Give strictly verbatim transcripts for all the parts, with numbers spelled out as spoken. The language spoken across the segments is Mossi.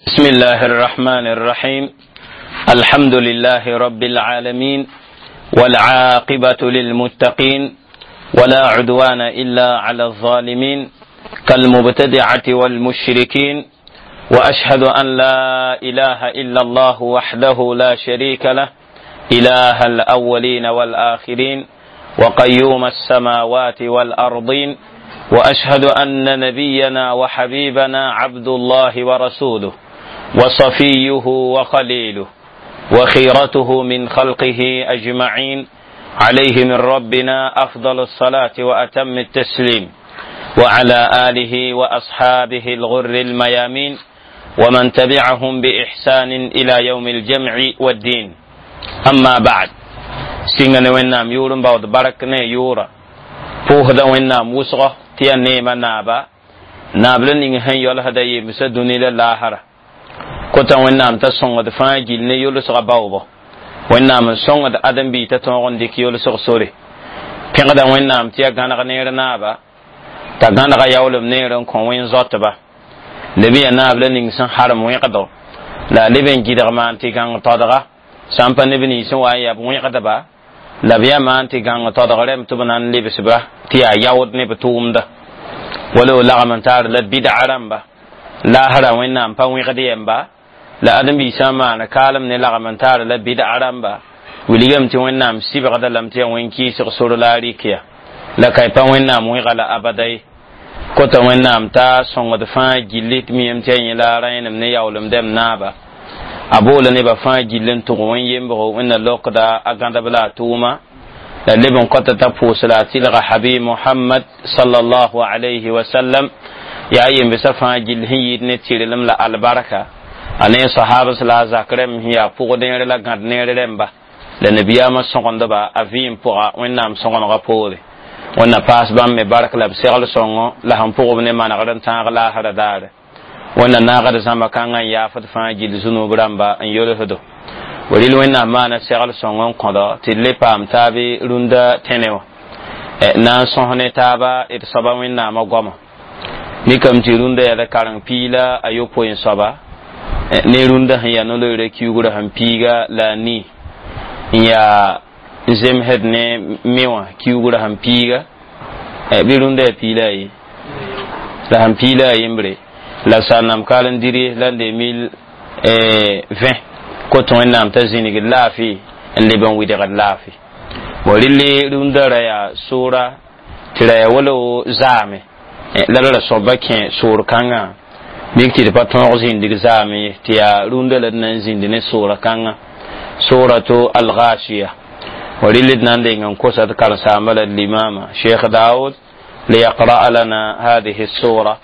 بسم الله الرحمن الرحيم الحمد لله رب العالمين والعاقبة للمتقين ولا عدوان إلا على الظالمين كالمبتدعة والمشركين وأشهد أن لا إله إلا الله وحده لا شريك له إله الأولين والآخرين وقيوم السماوات والأرضين وأشهد أن نبينا وحبيبنا عبد الله ورسوله وصفيه وخليله وخيرته من خلقه أجمعين عليه من ربنا أفضل الصلاة وأتم التسليم وعلى آله وأصحابه الغر الميامين ومن تبعهم بإحسان إلى يوم الجمع والدين. أما بعد، سينغن وينام يورن باود برك ne yura puhda wẽnnaam wʋsgɔ tɩ yaa neemã naaba naab la ning sẽn yɔlsda yemsã dũni la laasra kota wẽnnaam t'a sõngd fãa gill ne yolsgã baoobo wẽnnaam n sõngd ãdem-biig t'a tõog n dɩk yolsg sore pẽgda wẽnnaam tɩ yaa gãneg neer naaba t'a gãnega yaoolem neer n kõ wẽn-zoatba leb yaa naab la ning sẽn harem wẽgdo la a leb n gɩdg maan tɩ gãng todga sã n pa neb nins sẽn wa n yaa b wẽgdba la b yaa maan tɩ gãng todg rɛm tɩ b na n lebsba tɩ yaa yaood ne b tʋʋmda wala b lagm n taar la bid'a rãmba laasra wẽnnaam pa wẽgd yɛmba la ãdem-biisã maana kaalem ne lagm n taar la bid'a rãmba wilgame tɩ wẽnnaam sɩbgda lame tɩ yaa wẽn-kɩɩsg sor la a rɩk ya la ka pa wẽnnaam wẽga la abada ye kota wẽnnaam t'a sõngd fãa gilli tɩ miyame tɩ yaa yẽ la a rãenem ne yaoolem dɛm naaba a boola nebã fãa gill n tʋg wẽn-yembgo wẽnna lokda a gãdb la a tʋʋma la leb n kõta t'a pʋʋs la a tɩlga habib Muhammad sallallahu alayhi wa sallam yaa yembsã fãa gill sẽn yɩɩd ne tɩrlem la albarka a ne sahabas la a zak rẽmb sẽn yaa pʋgdẽere la gãd neer rẽmba la nabiyaamã sõgendba a vɩɩm pʋga wẽnnaam sõgenegã poore wẽnna paas bãmb me bark la b segl sõngo la sẽn pʋgb ne manegr n tãag laasra daare wẽnna naagd zãmba kãngã n yaafd fãa gill zũnub rãmba n yolsdo rɩl wẽnnaam maana segl sõng n kõdo tɩ d le paam taabe rũndã tẽne wã na n sõs ne taaba d soaba wẽnnaamã goama mikame tɩ rũndã yaa la kareng piila a yopoe n soaba ne rũndã sẽn yaa no-loeera kiugrã sẽn piiga la a nii n yaa zemsd ne me wã kiugrã sẽn piiga bɩ rũndã yaa piila a ye la sẽn piila a yembre la sãnam kal n diri la deux mille vingt kot wẽnnaam t'a zĩnigd laafɩ n leb n wɩdgd laafɩ bo rɩle rũndã ra yaa soora tɩ ra yaa wala zaame la la ra soaba kẽ soor kãngã mik tɩ d pa tõog zĩndig zaame ye tɩ yaa rũndã la d na n zĩnd ne soora kãngã suratu al-ghashiya wa rɩle d na n deng n kosa d karen-saamba la d limama Cheikh Daoud ليقرأ لنا هذه السورة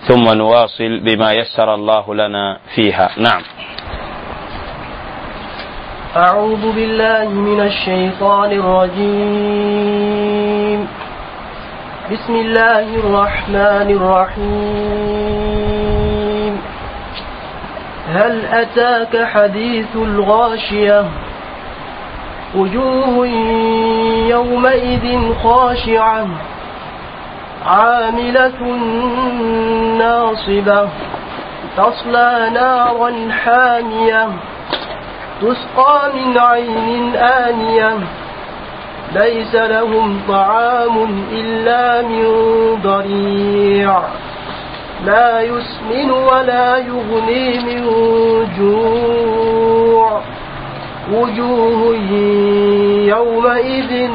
ثم نواصل بما يسر الله لنا فيها. نعم. أعوذ بالله من الشيطان الرجيم. بسم الله الرحمن الرحيم. هل أتاك حديث الغاشية؟ وجوه يومئذ خاشعة عاملة ناصبة تصلى نارا حامية تسقى من عين آنية ليس لهم طعام إلا من ضريع لا يسمن ولا يغني من جوع وجوه يومئذ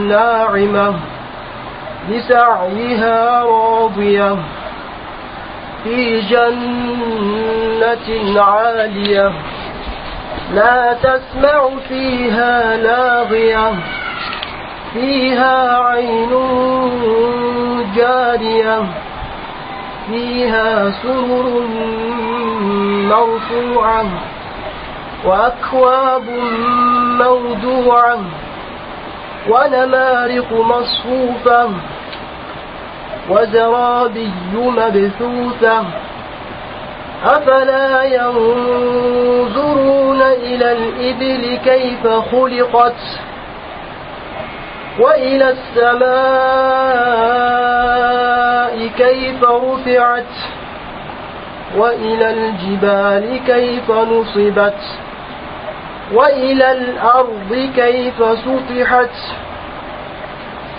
ناعمة لسعيها راضية في جنة عالية لا تسمع فيها لاغية فيها عين جارية فيها سرر مرفوعة وأكواب موضوعة ونمارق مصفوفة وزرابي مبثوثة أفلا ينظرون إلى الإبل كيف خلقت وإلى السماء كيف رفعت وإلى الجبال كيف نصبت وإلى الأرض كيف سطحت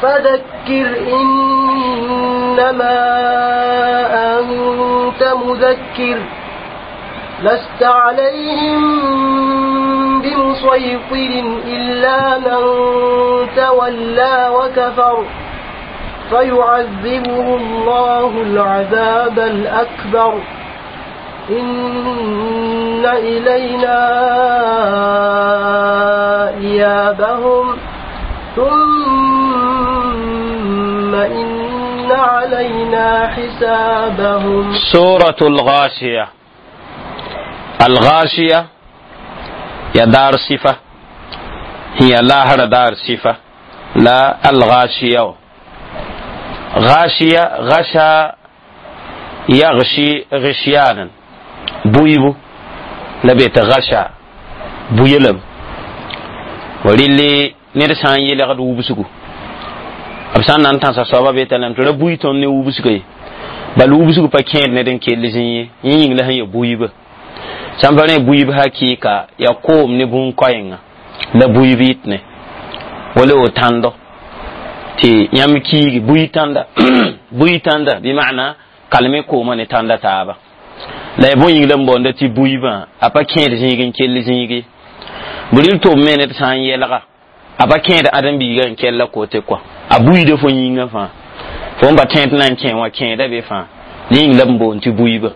فذكر إنما أنت مذكر لست عليهم بمسيطر إلا من تولى وكفر فيعذبه الله العذاب الأكبر إن إلينا إيابهم ثم إن علينا حسابهم. سورة الغاشية. الغاشية يا دار صفة، هي لاهر دار صفة، لا الغاشية. غاشية غشا يغشي غشيانا بويبو لبيت غشا بويلم وللي نرسان يلغد وبسكو أبسان نانتان سصابة بيتلم ترى بويتون ني وبسكو بل وبسكو باكين ندن كيلزين يين لهن يبويب سامبرين بويب حقيقة يقوم نبون كوينغ لا بويبيتني ولو تاندو تي يام كيغي بويتاندا بويتاندا بمعنى kalme kooma ne tãnda taaba la ya bõe yĩng la n baoonda tɩ buibã a pa kẽed zĩig n kell zĩige bʋ tʋm me ned sã n yɛlga a pa kẽed ãdem-biigã n kɛlla kote kɔa a buiida fo yĩngã fãa fo n pa tẽed na n kẽ wã kẽeda be fãa yĩng la n boond tɩ buibã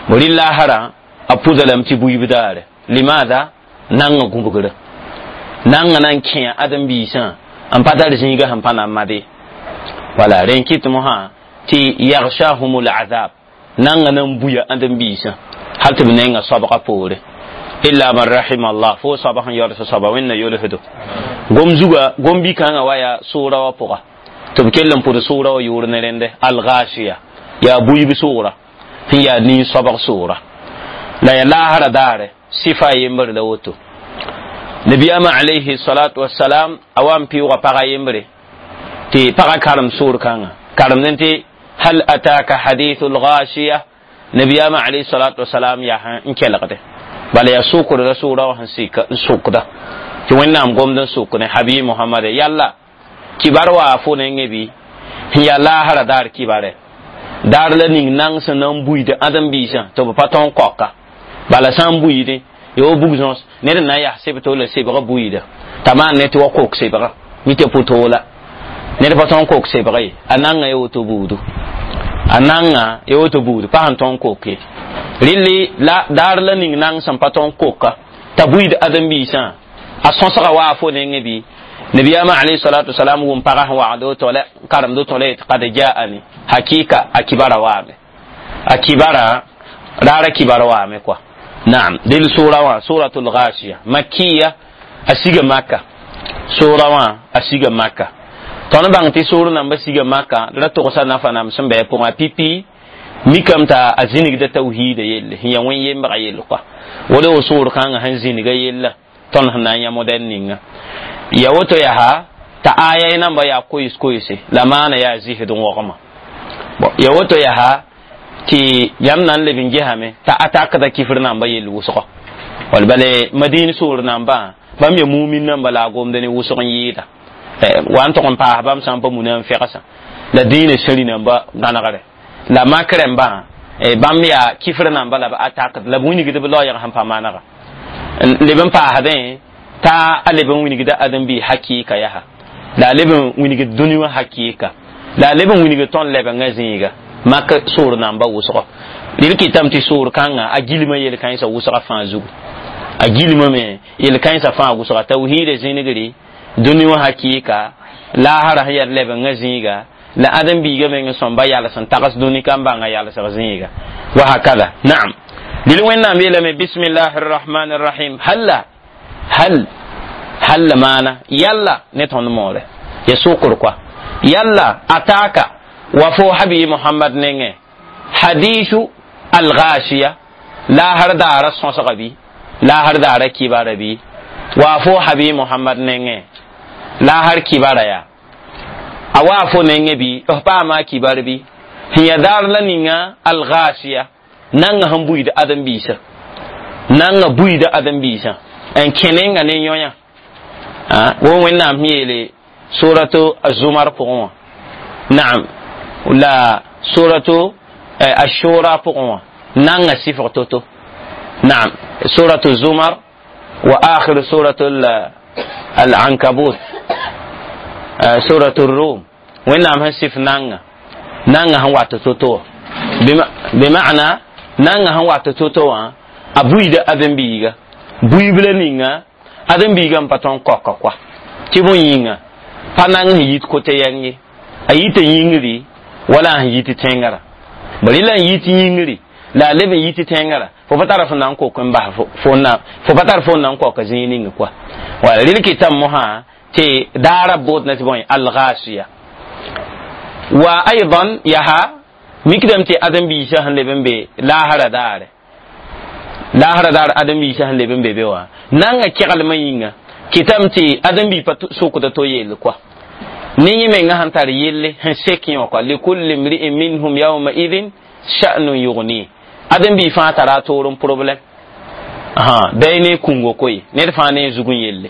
bʋ rɩ laasrã a pʋda lame tɩ buib daare limaada nanga gũbgrã nanga na n kẽa ãdem-biisã n pa tar zĩigã sẽn pa na n made wala rẽn kɩt mosã ti yaghshahumul azab nanga nan buya andam bisa hal tɩ b nenga soabga poore illa man rahima allah fo soaba sẽn yaool soaba wẽnna yolsdo gom zuga gom bi-kãngã wa yaa sʋʋra wã pʋga tɩ b kell n pʋd sʋʋra wã yʋʋr ne rẽnde alghashiya yaa buib sʋʋra sẽn yaa nin-soabg sʋʋra la ya laasra daare sɩfa a yembr la woto nabiyaamã alayhi salatu wassalam a wa n pɩʋʋga pagã yembre tɩ pagã karem sʋʋr kãngã karemdẽ tɩ هل أتاك حديث الغاشية نبيام عليه الصلاة والسلام يا إن كلغده بل يسوق الرسول وهن سوق ده توين نام قوم دن سوق حبيب محمد يلا كبار وافون نبي يا لا هر دار كبار دار لنين نان سنن بويد أدم بيسا تو باتون كوكا بل سان بويد يو بوغزونس نير نا يا سيبتو لا سيبغا بويد تمام نتي وكوك سيبغا ميتي بوتولا ned pa tõn kok sebg ye a nanga ya woto buudu a nanga ya woto buudu pa sẽn tõn kok ye rɩlli la daar la ning nang sẽn pa tõn koka t'a buiid ãdem-biisã a sõsga waa fo nengẽ bɩ nabiyaamã alayhi salatu wasalam wʋm pagã sẽn wagd woto la karemd woto la yetɩ qad jaani hakika a kibara waame a kibara raara kibar waame kɔa naam dɩl sʋʋra wã suratul ghashiya makiya a siga maka sʋʋra wã a siga maka tõnd bãng tɩ soor namba siga maka ra togsa nafa nam sẽn bɩ a pʋgã pipi mikame t'a a zĩnigda tawhiida yelle sẽn yaa wẽn-yembga yell kɔa wala wo soor kãngã sẽn zĩniga yella tõnd sẽn na n yã modɛl ninga ya woto yaa t'a aya namba yaa koees-koeese la maana yaa zɩsd wogma ya woto yaa tɩ yãmb na n leb n gesame t'a atakda kifr namba yell wʋsgɔ wall bale madin soor nambã bãmb ya mumin namba la a gomda ne wʋsg n yɩɩda wa n tʋg n paas bãmb sã n pa muna n fɛgsã la dĩinã sẽri namba gãnegre la mak rẽmbã bãmb yaa kifr namba la b atakd la b wilgd b laoyg sẽn pa manega leb n paasdẽ t'a a leb n wilgda ãdem-biis hakɩɩka yaa la a leb n wilgd dũni wã hakɩɩka la a leb n wilgd tõnd lebengã zĩiga mak soor namba wʋsgɔ rɩl kɩtame tɩ soor kãngã a gilmã yel-kãensã wʋsga fãa zugu a gilmã me yel-kãensã fãa wʋsga tawhiida zĩnigri dũni wã hakɩɩka laasra sẽn yaa lebengã zĩiga la ãdem-biigã meng sõmba yals n tags dũni ka n bãnga yalsg zĩiga wa hakada naam dɩl wẽnnaam yeelame bismillahi rrahmani rrahim halla hal halla maana yalla ne tõnd moore ya sʋkr kɔa yalla ataka wa fo habi muhammad nengẽ hadisu alghashiya laasr daara sõsga bɩ laasr daara kibara bɩ wa fo habi muhammad nengẽ laasr kibara yaa a waa fo nengẽ bɩ f paama a kibar bɩ sẽn ya daar la ninga alghashiya Nanga sẽn buiid ãdem-biisã, nanga buiida ãdem-biisã n kẽ nenga ne yõ-yã wo Wẽnnaam sẽn yeele suratu Azumar pʋgẽ wã, naam, la suratu Ashura pʋgẽ wã, nanga sifg to-to, naam, suratu Zumar wa akhir suratu Al-Ankabut, suratu Rum. Wẽnnaam sẽn sif nanga, nanga sẽn wat to-to wã, bima'na nanga sẽn wat to-to wã, a buiida ãdem-biiga buib la ninga ãdem-biigã n pa tõnd koka koa tɩ bõe yĩnga pa nang sẽn yit kote yɛng ye, a yita yĩngri wala a sẽn yit tẽngara bari la n yit yĩngri la a leb n yit tẽngara, fo pa tara fo na n kok n bas fo na, fo pa tar fo na n koka zĩig ning koa. Wala rel kɩtame mosã tɩ daara boodna tɩ bõe algasiya wa aidan yaha mikdame tɩ ãdem-biisã sẽn leb n be laasra daare, laasra daar ãdem-biisã sẽn leb n be be wã, nanga keglmã yĩnga kɩtame tɩ ãdem-bi pa sokda to yell koa ne yẽ menga sẽn tar yelle sẽn sek yẽ wã koa likulli mri'in minhum yawma idin sha'nun yughni. Ãdem-bi fãa tara a toor n problème bɩ ne kũngo koe, ned fãa ne zug n yelle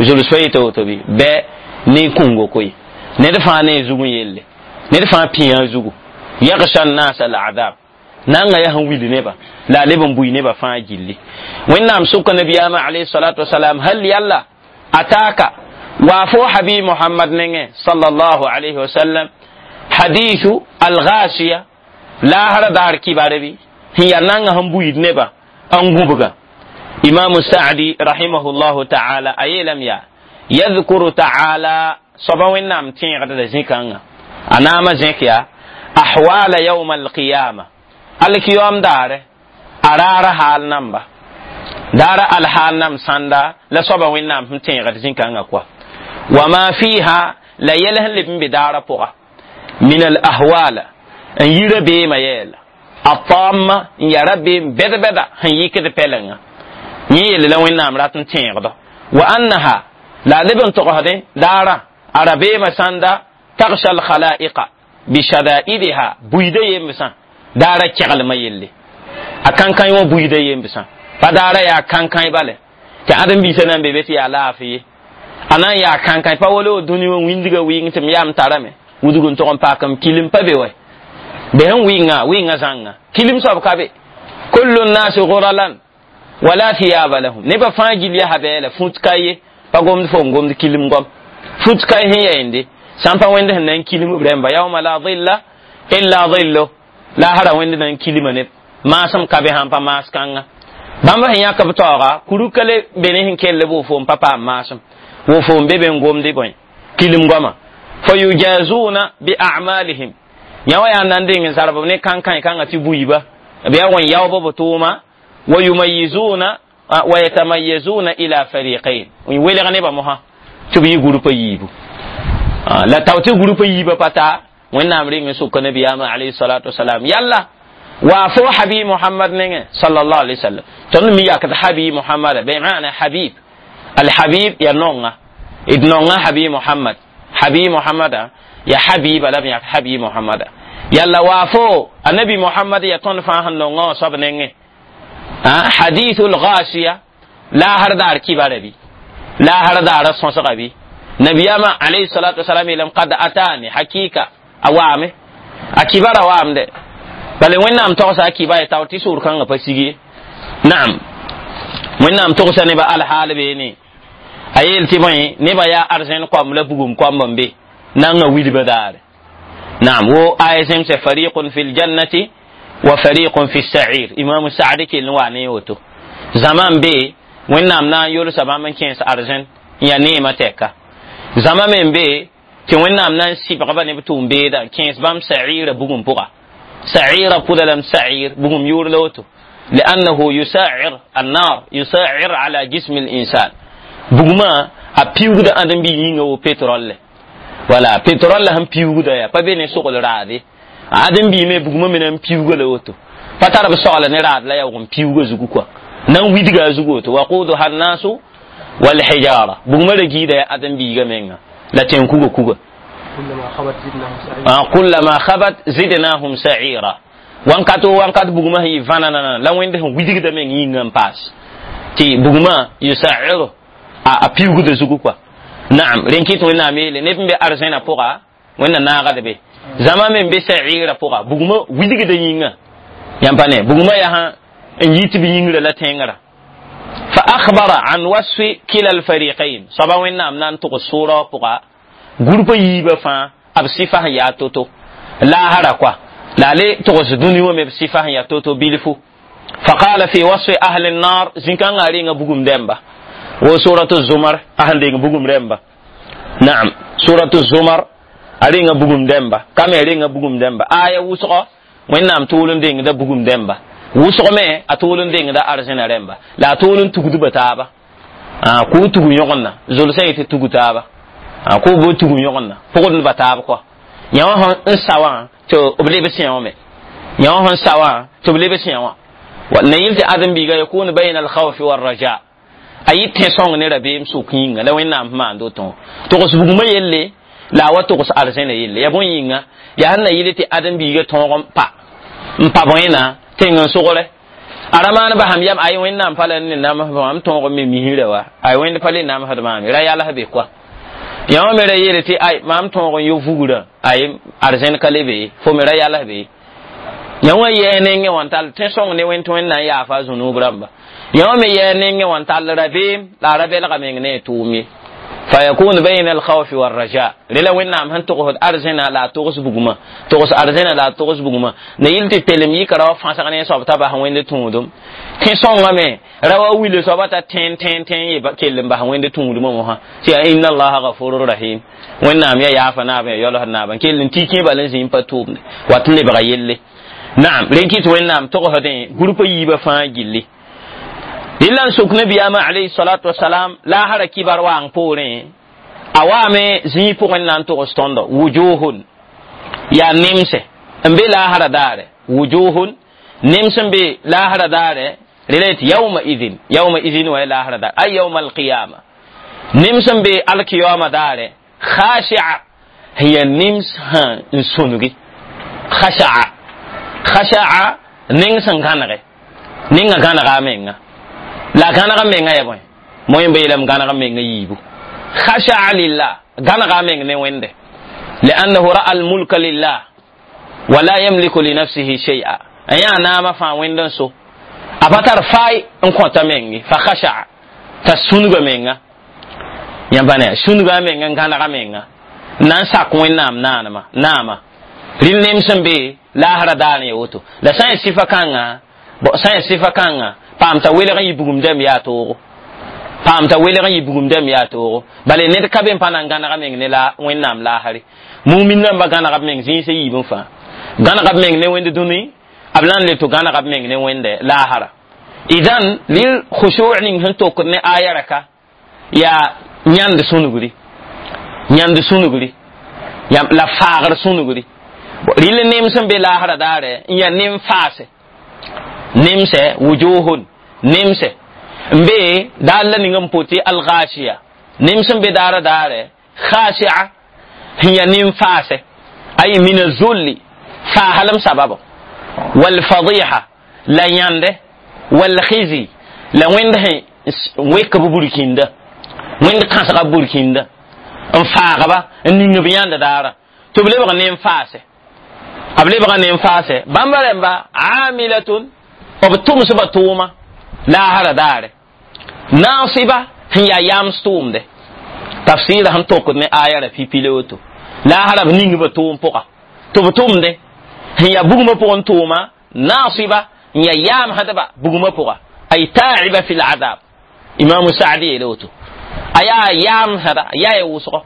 zuls pa yeta woto bɩ bɩ ne kũngo koe, ned fãa ne zug n yelle, ned fãa pĩyã a zugu yagsha an-nas al-adab nanga yaa sẽn wil neba la a leb n bui neba fãa gilli. Wẽnnaam sʋka nabiyaamã alayhi salatu wasalam hal yalla ataka wa fo habi Muhammad nengẽ sallallahu alayhi wasallam hadithu al-ghashiya laasra daar kibare bɩ sẽn yaa nanga sẽn buiid neba n gũbga. Imamu Sa'di rahimahullahu ta'ala a yeelame yaa yadhkuru ta'ala soaba Wẽnnaam tẽegda la zĩ-kãngã a naama zẽk yaa ahwala yawma alqiyama alkiyom daare a raara haal namba daara alhaal nam sãnda la soaba Wẽnnaam sẽn tẽegd zĩ-kãngã koa wama fiha la yɛl sẽn leb n be daara pʋga min al ahwala n yi rabeemã yɛɛla a taamma n yaa rabeem bɛd-bɛda sẽn yikd pɛlenga yẽ yelle la Wẽnnaam rat n tẽegda wa annaha la a leb n togsdẽ daara a rabeemã sãnda tagsha alkhalaiqa bishadaidiha buiida yembsã daara keglmã yelle a kãnkãe wã buiida yembsã pa daara yaa kãnkãe bale tɩ ãdem-biisã na n be be tɩ yaa laafɩ ye a na n yaa kãnkãe pa wala dũni wã wĩndgã wɩng tɩ m yaam tarame wudg n tog n paak m kilim pa be wɛ be sẽn wɩnga wɩnga zãnga kilim soab ka be kullu nnasi guralan wala thiyaba lahum nebã fãa gil yaa bɛɛla fũt ka ye pa gomd fo n gomd kilim gom fũt ka sẽn yɛɛnde sãn pa wẽnd sẽn na n kilim b rẽmba yawma la dhilla illa dhillo laasra wẽnd na n kilima neb maasem ka be sãn pa maas kãnga bãmb sẽn yãk b taooga kuruka le be ne sẽn kell b wofo n pa paam maasem wofo n be be n gomde bõe kilim goama fa yujazuna bi a'malihim yã wã yaa n na n deng n zarb ne kãnkãe kãngã tɩ buiiba b yaa wẽn yaoobã b tʋʋma wa yumayizuna wa yatamayazuna ila fariqain n welg nebã mosã tɩ b yɩ gurpa yiibu la tao tɩ gurpa yiibã pa taa Wẽnnaam reng n sʋka nabiyaamã alayhi salatu wasalam yalla wa fo habi Muhammad nengẽ sallallahu alayhi wasallam tõnd mi yakd habi Muhammada bima'na habib alhabib ya nonga d nonga habi Muhammad habi Muhammada ya habiba la b yãk habi Muhammada yalla wa fo annabi Muhammad ya tõnd fãa sẽn nonga wã soab nengẽ hadithu lghashiya laasr daar kibara bɩ laasr daara sõsga bɩ nabiyama alayhi salatu wasalam yeelame qad atani hakika a waame a kibara waamde bala Wẽnnaam togsa a kiba ya tao tɩ sʋʋr kãngã pa sig ye naam Wẽnnaam togsa nebã alhaal beene a yeel tɩ bõe nebã yaa arzẽn koamb la bugum koamb n be nanga wilba daare naam wo aya zẽmsɛ fariqun fi ljannati wa fariqun fi sa'ir imamu Sa'di kell n wa ne woto zãma n be Wẽnnaam na n yolsa bãmb n kẽes arzẽn n yaa neemã tɛka zãma me n be tɩ Wẽnnaam na n sɩbgba ne b tʋʋm-beeda n kẽes bãmb sa'ira bugum pʋga sa'ira pʋda lame sa'ir bugum yʋʋr la woto li'annahu yusa'ir annar yusa'ir ala jismi l'insan bugmã a piugda ãdem-bi yĩnga wo pétrole wala pétrole sẽn piugda yaa pa be ne sogl raade ãdem-bi me bugmã me na n piuga la woto pa tar b sogla ne raad la yaoog n piuga zugu kɔa na n widga a zugu woto waquduha annasu walhijara bugmã ra giida yaa ãdem-biiga menga la tẽn kuga kuga kullama khabat zidnahum sa'ira Wankat o wankat bugmã sẽn yɩ vãnanana la wẽnd sẽn widgda meng yĩngã n paas tɩ bugmã yusairu a piugda zugu kɔa. Naam, rẽn kɩt Wẽnnaam yeele neb n be arzẽna pʋga Wẽnna naagd be zãma me n be sa'ira pʋga bugmã widgda yĩngã yãmb pa ne bugmã yaa n yit b yĩngrã la tẽngrã. Fa akhbara an wasfi kila alfariqain soaba Wẽnnaam na n tʋgs sʋʋrã pʋga gũrpã yiibã fãa b sɩfa sẽn yaa to-to laasra kɔa la a le togs dũni wã me b sɩfa sẽn yaa to-to bilfu. Faqala fi wasfi ahli nnar zĩ-kãngã renga bugum dẽmba wo suratu Zumar a sẽn deng bugum rẽmba. Naam, suratu Zumar a renga bugum dẽmba ka me renga bugum dẽmba aya wʋsgɔ Wẽnnaam tʋʋl n dengda bugum dẽmba wʋsg me a tʋʋl n dengda arzẽna rẽmba la a tʋʋl n tugdba taaba kʋ tug yõgenna zʋlsã yetɩ tug taaba kʋ bo tug yõgenna pʋgdba taab kɔa yã wã sẽn sa wã tɩ b leb sẽ wã me yã wã sẽn sa wã tɩ b leb sẽ wã na yɩl tɩ ãdem-biiga yakunu bayna alkhawfi walraja a yɩ tẽ-sõng ne rabeem sʋk yĩnga la Wẽnnaam sẽn maand woto togs bugmã yelle la a wa togs arzẽna yelle ya bõe yĩnga yaa sẽn na yɩl tɩ ãdem-biiga tõog n pa n pa bõena tẽng n sogre a ra maan basam yam ay Wẽnnaam pa la ne namsd mam tõog n me misrã wa ay Wẽnd pa le namsd maame ra yals be koa yã wã me ra yeele tɩ ay maam tõog n yo vugrã ay arzẽn ka le be fo me ra yals be yã wã yɛɛ nengẽ wã n tall tẽ-sõng ne Wẽnd tɩ Wẽnd na n yaafa a zũnub rãmba yã wã me yɛɛ nengẽ wã n tall rabeem la a ra belga meng ne a tʋʋm ye. Fayakunu bayna alkhawfi walraja rela Wẽnnaam sẽn togsd arzẽna la a togs bugmã togs arzẽna la a togs bugmã na yɩl tɩ telem yika ra wa fãsg ne soab t'a bas Wẽnd tũudum tẽ-sõngã me ra wa wile soaba t'a tẽen tẽen tẽen ye kell n bas Wẽnd tũudumã mosã tɩ yaa inna allaha gafurur rahim Wẽnnaam ya yaafa naab ya yaoolsd naaba n kell n tɩ kẽ bal n zĩ n pa tʋʋmde wat n lebga yelle. Naam, rẽn kɩt Wẽnnaam togsdẽ gũrpã yiibã fãa gilli rɩla n sok nabiyaamã alayhi salatu wasalam laasra kibar waang poorẽ a waame zĩig pʋgẽ na n togs tõndo wujuhun yaa nemse n be laasra daare wujuhun nems n be laasra daare rela yetɩ yauma idin yauma idin wa ya laasra daare ay yauma alqiyama nems n be alkiyama daare khashia sẽn yaa nems sã n sũngi khashaa khashaa neng sẽn gãnege ninga gãnega a menga la gãneg menga ya bõe moẽ ba yeelame gãneg menga yiibu khashaa lillah gãnega meng ne Wẽnde liannahu ra'a almulka lillah wala yamliku linafsihi shay'a a yã naamã fãa Wẽnd n so a pa tar faay n kõta mengi fa khashaa t'a sũnga menga yãmba ne sũnga menga n gãnega menga n na n sak Wẽnnaam naanema naama rɩl nem sẽn be laasra daar n ya woto la sã n ya sɩfa kãnga sã n ya sɩfa kãnga paam t'a welg n yɩ bugum dɛm yaa toogo paam t'a welg n yɩ bugum dɛm yaa toogo bala ned ka be n pa na n gãnega meng ne la Wẽnnaam laasre mumin rãmba gãnega b meng zĩisã yiibẽ fãa gãnega b meng ne Wẽnd dũni b la n le tɩ gãnega b meng ne Wẽnde laasra idan lil khushu' ning sẽn tokd ne aya raka yaa yãnd sũnugri yãnd sũnugri la faagr sũnugri rɩl nem sẽn be laasra daare n yaa nem faase nemsɛ wujuhun nemsɛ n be daar la ning n pʋtɩ alghashiya nem sẽn be daara daare khashia sẽn yaa nem faasɛ ay min azulli faasalem sababo walfadiha la yãnde walkhizi la Wẽnd sẽn wek b burkĩnda Wẽnd kãsga b burkĩnda n faagba n ning b yãnd daara tɩ b lebg nem faasɛ b lebga nem faasɛ bãmba rẽmba amilatun b tʋmsba tʋʋma laasra daare naasiba sẽn yaa yams tʋʋmde tafsɩɩra sẽn tokd ne aya ra pipi le woto laasra b ningba tʋʋm pʋga tɩ b tʋmde sẽn yaa bugmã pʋgẽ tʋʋma naasiba n yaa yaamsdba bugmã pʋga ay taiba fi ladab imamu Saadi yeela woto a yaa yaamsda yaa ya wʋsgɔ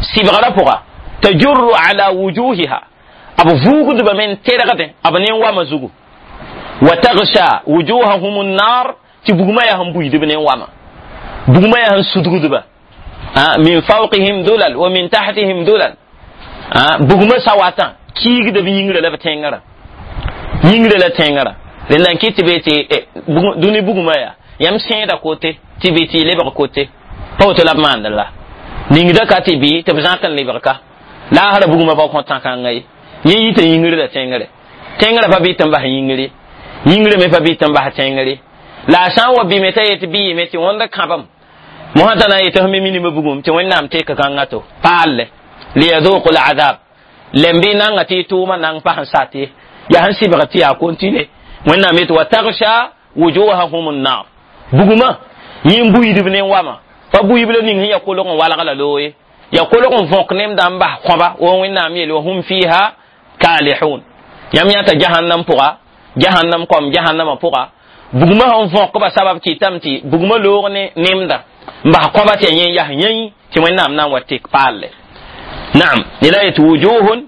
sɩbgrã pʋga tajurru ala wujuhiha b vuugdba me n tergdẽ b nen-wama zugu wa tagsha wujuhahum nnar tɩ bugmã yaa sẽn buiidb nen-wama bugmã yaa sẽn sudgdba min fawqihim dulal wa min tahtihim dulal bugmã sawatã kiigda b yĩngrã la b tẽngrã yĩngrã la tẽngrã rẽnda n kɩt tɩ be tɩ dũni bugmã yaa yãmb sẽeda kote tɩ bɩ tɩ y lebg kote pa woto la b maand la ningda ka tɩ bɩ tɩ b zãk n lebg ka laasra bugmã pa kõ tã-kãngã ye yẽ yita yĩngr la tẽngre Tẽngrã pa bɩ tɩ n bas yĩngre, yĩngre me pa bɩ tɩ n bas tẽngre. La a sã n wa bɩme t'a yet bɩ yɩme tɩ wõnd kãbem mosã t'a na n yetɩ f me minimã bugum tɩ Wẽnnaam tek kãngã to paalle liyaduqu lazab lem bɩ nanga tɩ y tʋʋmã nang pas n sat ye yaa sẽn sɩbg tɩ yaa kontine. Wẽnnaam yetɩ wa tagsha wujuhahum nnar bugumã yẽ n buiidb ne wama pa buiib la ning sẽn ya kolg n walg la looye ya kolg n võk nemdã n bas kõba wo Wẽnnaam yeel wa hum fiha kalihun. Yãmb yãta jahannam pʋga, jahannam kom jahannamã pʋga bugumã sẽn võkba sabab kɩtame tɩ bugumã loog ne nemda n bas kõba tɩ ya yẽ yas yẽi tɩ Wẽnnaam na n wa tek paalle. Naam, la yet wujuhun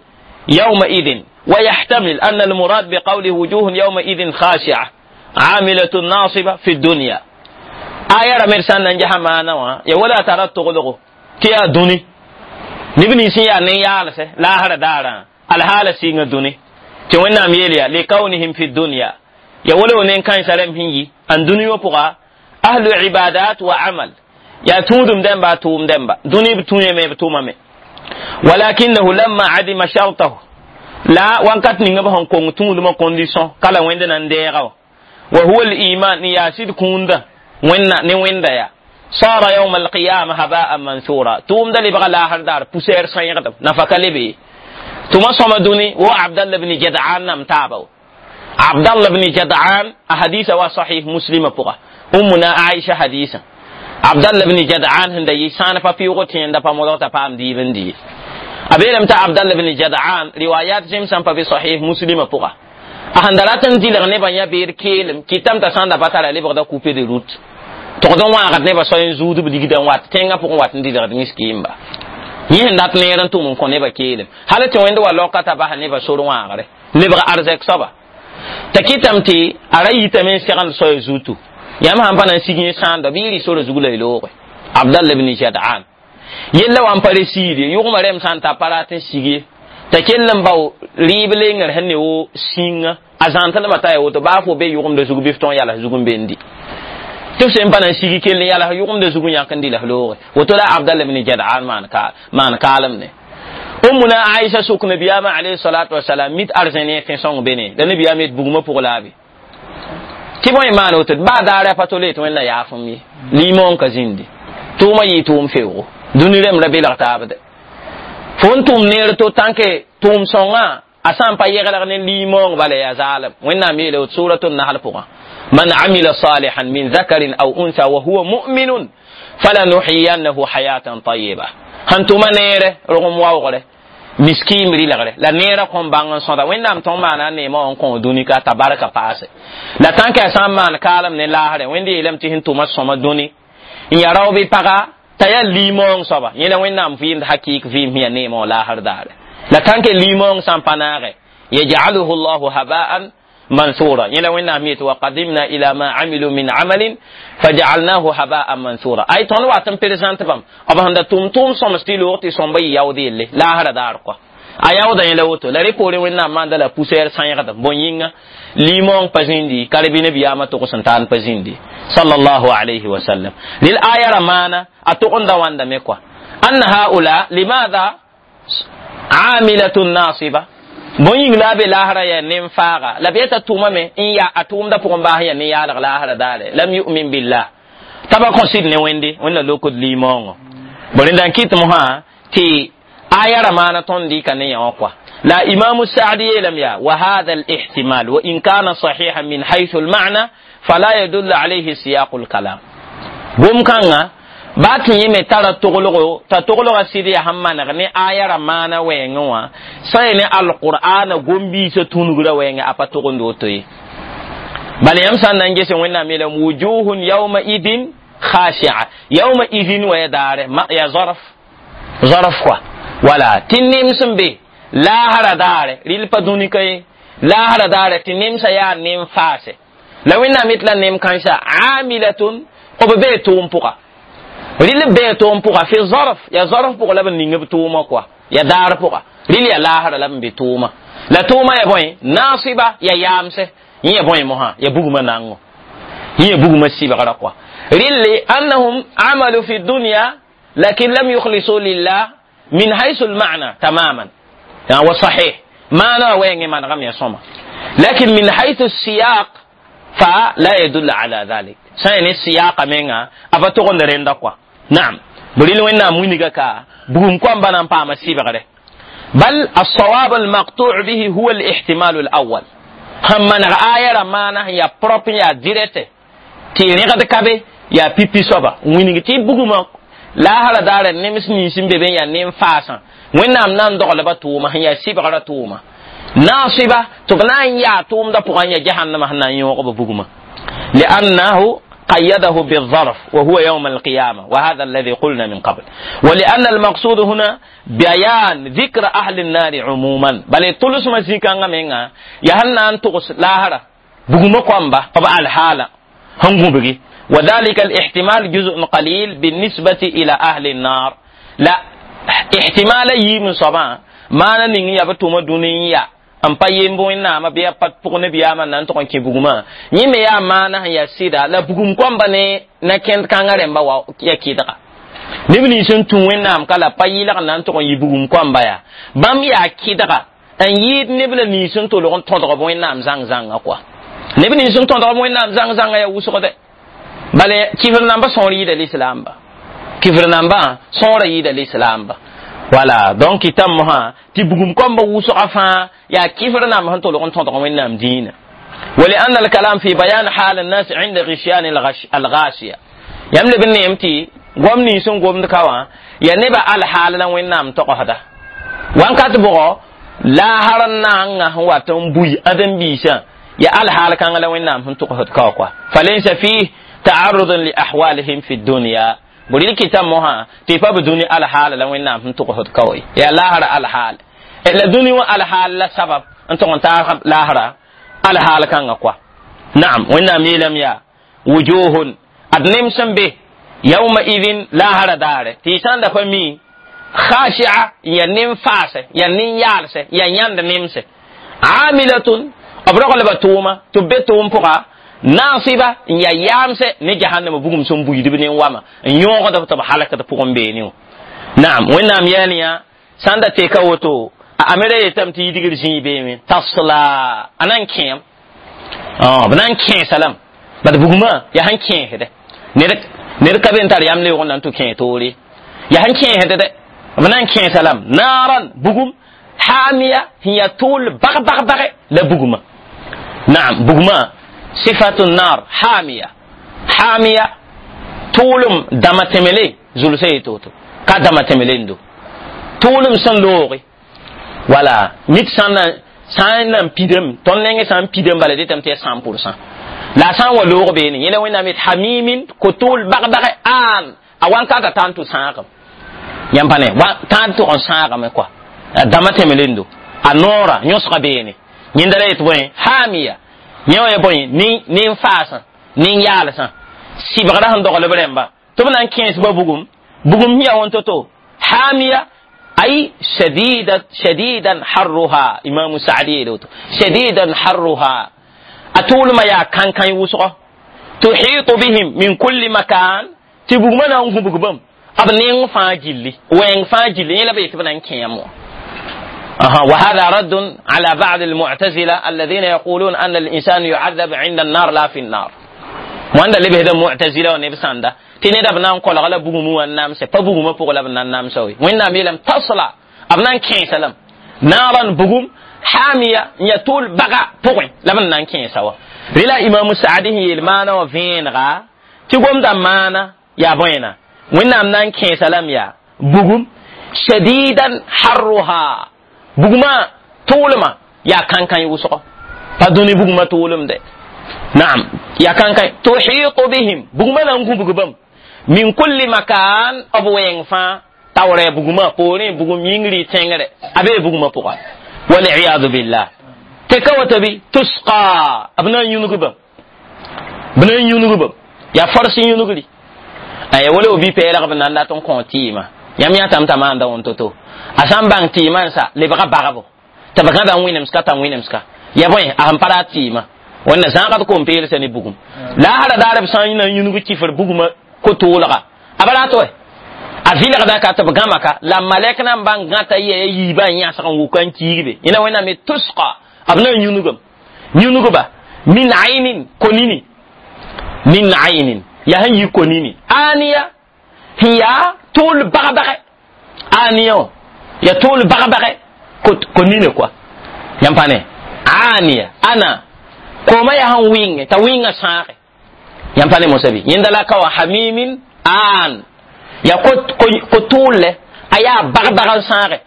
yawmaidin ويحتمل أن المراد بقوله وجوه يومئذ خاشعة عاملة ناصبة في الدنيا. آية رمرسان ننجح معنا يا ولا ترى تغلقه تيا دوني نبني سيا نيالسه لا هر دارا الحالة سيغ دوني تي وẽnnaam yeelya لكونهم في الدنيا يا ولا ونين كان سلام هنجي أن دنيا بقى أهل عبادات وعمل يا تودم دمبا توم دمبا دوني بتوني مي بتوما مي ولكنه لما عدم شرطه لا وانكت نيغا بهون كون تودم condition kala wẽnd nan deega وهو الإيمان ياسد كوندا وين ني وين يا صار يوم القيامة هباء منثورا توم دلي بغى لاهر دار بوسير سيغدم نفك لبي ثم صمدوني وعبد الله بن جدعان نم تابو عبد الله بن جدعان أحاديث وصحيح مسلم بقى أمنا عائشة حديثا عبد الله بن جدعان هند يسان فبيوغتين دا فمودو تفام دي بن دي أبيلم تا عبد الله بن جدعان روايات جيمسان في صحيح مسلم بقى ahan da rat n dɩlg nebã yã beer keelem kɩtame t'a sã n da pa tara lebgda coupe de route togd n wãagd nebã soa n zuudb ligdã n wat tẽngã pʋgẽ wat n dɩlgd miskiimba yẽ sẽn dat neer n tʋm n kõ nebã keelem hal tɩ wẽnd wa laoka t'a bas nebã sor wãagre lebg arzɛk soaba t'a kɩtame tɩ a ra yitame n segend soa zutu yãmb sãn pa na n sig yẽ sãanda bɩ y rɩ sora zug la y looge Abdallah ibn Jad'an yella wa n pa re siid ye yʋgmã rɛm sã n ta pa rat n sig ye t'a kell n bao rɩɩb lengr sẽn ne wo sĩnga a zãntlmã t'a ya woto baa fo be yʋgemda zug bɩ f tõog yals zug n be n di tɩ f sẽn pa na n sigi kell n yals yʋgemda zug n yãk n dɩ la f looge woto la Abdallah ibn Jad'an maan kaalem ne Ummuna Aisha sʋk nabiyaamã alayhi salatu wasalam mit arzẽne tẽ-sõng bene la nabiyaam yet bugmã pʋg la a be tɩ bõe maan woto baa daara pa tole tɩ Wẽnna yaafem ye limon ka zĩndi tʋʋmã yɩ tʋʋm feoogo dũni rẽmb ra belg taabde fo n tʋm neer to tãnke tʋʋm sõngã a sã n pa yeglg ne limong bala yaa zaalem Wẽnnaam yeele wot suratu nahl pʋgã man amila salihan min zakarin aw unsa wa huwa mu'minun falanuhyiyannahu hayatan tayiba sẽn tʋma neere rogem waoogre miskiim rɩlgre la neerã kõn bãng n sõda Wẽnnaam tõng maana a neemã wã n kõ dũni ka t'a barka paase la tãnke a sã n maan kaalem ne laasrẽ Wẽnd yeelame tɩ sẽn tʋma sõma dũni n yaa rao bɩ paga t'a yaa limong soaba yẽ la Wẽnnaam vɩɩmd hakɩɩk vɩɩm sẽn yaa neemã wã laasr daare la tãnke limong sã n pa naage yaj'aluhu llahu haba'an mansura yẽ la Wẽnnaam yetɩ wa qadimna ila ma amilu min amalin faja'alnahu haba'an mansura ay tõnd wat n présente bãmb b sẽn da tʋm tʋʋm sõms tɩ loog tɩ sõmba yɩ yaood yelle laasra daar kɔa a yaooda yẽ la woto la rẽ poorẽ Wẽnnaam maanda la poussière sãyegdem bõe yĩnga limong pa zĩndi ka bɩ nabiyaamã togs n taan pa zĩndi sallallahu alayhi wa sallam lil aya ra maana a tog n da wãndame kɔa anna haula limadha amilatun nasiba bõe yĩng la a be laasrã yaa nen-faaga la bɩ t'a tʋmame n ya a tʋʋmdã pʋgẽ baas yaa nen-yaalg laasrã daare lam yu'min billah t'a pa kõ sɩd ne Wẽnde Wẽnna lokd limõongo bõ rẽnda n kɩt mosã tɩ aya ra maana tõnd dɩka ne yã wã kɔa لا إمام السعدي يلم يا وهذا الاحتمال وإن كان صحيحا من حيث المعنى فلا يدل عليه سياق الكلام بوم كان ba tɩ yẽ me tara toglgo t'a toglgã sɩd yaa sẽn maneg ne aya ra maana wɛɛngẽ wã sã ne alqur'ana gom-biisã tũnugrã wɛɛngẽ a pa togend woto ye bala yãmb sã n na n ges Wẽnnaam yeelame wujuhun yawma idin khashi'a yawma idin wa ya daare ya zarf zarf kɔa wala tɩ nems n be laasra daare rɩl pa dũni ka ye laasra daare tɩ nemsã yaa nem faase la Wẽnnaam yet la nem kãensã amilatun b bee tʋʋm pʋga rɩl bee tʋʋm pʋga fi zarf ya zarf pʋgã la b ning b tʋʋmã kɔa ya daar pʋga rɩl ya laasra la b be tʋʋmã la tʋʋmã ya bõe naasiba ya yaamse yẽ ya bõe mosã ya bugmã nango yẽ ya bugmã sɩbgrã kɔa rɩlle annahum amalu fi dunya lakin lam yukhlisu lillah min haythu lma'na tamaman wa sahih maana wɛɛngẽ manegame ya sõma لكن من حيث السياق فلا يدل على ذلك. سين السياق منها أبا تغن رندقوا. نعم بريل وين موينغا كا بوم كوم بنام باما سيبغره. بل الصواب المقطوع به هو الاحتمال الأول. هم من آية ما يا بروب يا ديريت تي ريغد كابي يا بيبي صوبا وينغ تي بوغوما لا هلا دار نمس نيسم بيبين يا نيم فاسا وين نام نان دوغ لبا توما يا سيبغره توما ناصبة تبنا يا توم دا بوغان يا جهنم هنا يوقب بوغوما لأنه قيده بالظرف وهو يوم القيامة، وهذا الذي قلنا من قبل. ولأن المقصود هنا بيان ذكر أهل النار عموما، بل تلس مزيكا منها يهنا أن تغس لاهرة بغم قوامبا طبعا الحالة هم بغي، وذلك الاحتمال جزء قليل بالنسبة إلى أهل النار. لا احتمال يم صبا ما نني يبتوم دنيا n pa yemb wẽnnaamã bɩ a pa pʋg nabiyaamã na n tʋg n kẽ bugmã yẽ me yaa maana sẽn yaa sɩda la bugum kõmba ne na kẽnd kãngã rẽmba wa ya kɩdga neb nins n tũ wẽnnaam ka la pa yɩlg na n tʋg n yɩ bugum kõmba yaa bãmb yaa kɩdga n yɩɩd neb la nins n tolg n tõdg b wẽnnaam zãng-zãngã kɔa neb nins n tõdg b wẽnnaam zãng-zãngã yaa wʋsgdɛ bala kifr namba sõor yɩɩda lislaamba kifr nambã sõora yɩɩda lislaamba. Voilà, donc itam moha ti bugum komba wusqa fa ya kifr nam han tolgon ton ton wennam dina. ولأن الكلام في بيان حال الناس عند غشيان الغاشية يملي بالنيمتي قوم نيسون قوم دكوا يا نبا الحال لن وينام تقهدا وان كاتبو لا هرنا هو تنبوي أدم بيشا يا الحال كان لن وينام هم تقهد كوا فليس فيه تعرض لأحوالهم في الدنيا. بريل كتاب مها تيفا بدوني الحال لن وينام هم تقهد كوا يا لا هر الحال إلا دنيا الحال لا سبب أنتم تعرف لا هر الحال كان أقوى. نعم وإنام يلم يا وجوه أدنم سنبه يومئذ لا هر دار تيسان دفمي خاشعة ينم فاسة ينم يالسة ينيند نمسة عاملة أبرق لبتوما تبتوم بقى ناصبة يامسة نجهنم بقوم سنبو يدبنين واما يوم قد تبقى حلقة بقوم بينيو. نعم وإنام يانيا ساندا تيكاوتو amere yetam ti yidigir zĩig beeme tasla a na n kẽem b na n kẽesa lame bad bugmã yaa sẽn kẽesdɛ ned ka be n tar yam leoog n na n tʋ kẽe toore yaa sẽn kẽesd dɛ b na n kẽesa lame naaran bugum haamiya sẽn yaa tʋʋl bag bag bage la bugmã. Naam bugmã sifatu naar haamiya haamiya tʋʋlem dama tẽmele zulsa yeto-woto ka dama tẽmelen do tʋʋlem sẽn looge. Voilà, nit san san nan pidem ton nenge san pidem bala detam te cent pour cent la san wa loog be ni yela wena mit hamimin kotul bag bag an awan ka ta tantu saagam yampane wa tantu on saagam quoi dama temelendo anora nyosga be ni nyindara et boy hamiya nyewa ya boy ni ni faasa ni yalsa sibagra han dogole bremba to nan quinze ba bugum bugum ya won toto hamiya أي شديدة شديدا حرها. إمام سعدي دوت شديدا حرها أطول ما يا كان كان يوسق تحيط بهم من كل مكان تبغمنا هم بغبم أبنين فاجلي وين فاجلي لا بيت بنان كيامو. أها وهذا رد على بعض المعتزلة الذين يقولون أن الإنسان يعذب عند النار لا في النار. وأن اللي بهذا معتزلة ونبساندا تيني دا بنان كولا غلا بوغمو النام سي با بوغمو بوغ لا بنان نام سوي وين نام يلم تصلا ابنان كين سلام نارا بوغم حامية يطول بغا بوغ لا بنان كين سوا رلا امام سعدي يلمانا وفين غا تيغوم دا مانا يا بوينا وين نام نان كين سلام يا بوغم شديدا حرها بوغما طولما يا كان كان يوسق با دوني بوغما طولم ده. نعم يا كان كان تحيط بهم بوغما نانكو بوغبم من كل مكان أبو ينفا توري بوغما بوري بوغم ينغري تنغري أبي بوغما بوغا والعياذ بالله تكوتبي تسقى أبنا ينغبم بنا ينغبم يا فرس ينغري أي ولو بي بيلا بنا لا تون كونتيما يام يا تام تام دا ونتوتو أسام بان تيما سا لبغا بغابو تبغا بان وينمسكا تام وينمسكا يا بوي أهم بارا تيما wannan zãgd kom-peelsa ne bugum la hara daar b sã n na yũnug kifr bugmã ko-toolga a ba rat wɛ a vɩlgda ka tɩ b gãma ka la malɛk na n bãng gãta yɛa yiibã n yãsg n wʋka n kiigbe yẽna wẽnnaam ye tusqa b na n yũnugame Yũnugba min aynin konini min aynin yaa sẽn yi konini aniya sẽn yaa tʋʋl bag-bagɛ aniya wã ya tʋʋl bag-bagɛ konine kɔa yãmb pa ne aniya ana kooma yaa sẽn wɩnge t'a wɩngã sãage yãmb pa ne mosã bɩ yẽnda la ka wa hamimin an ya ko tʋʋl a yaa bag-bag n sãage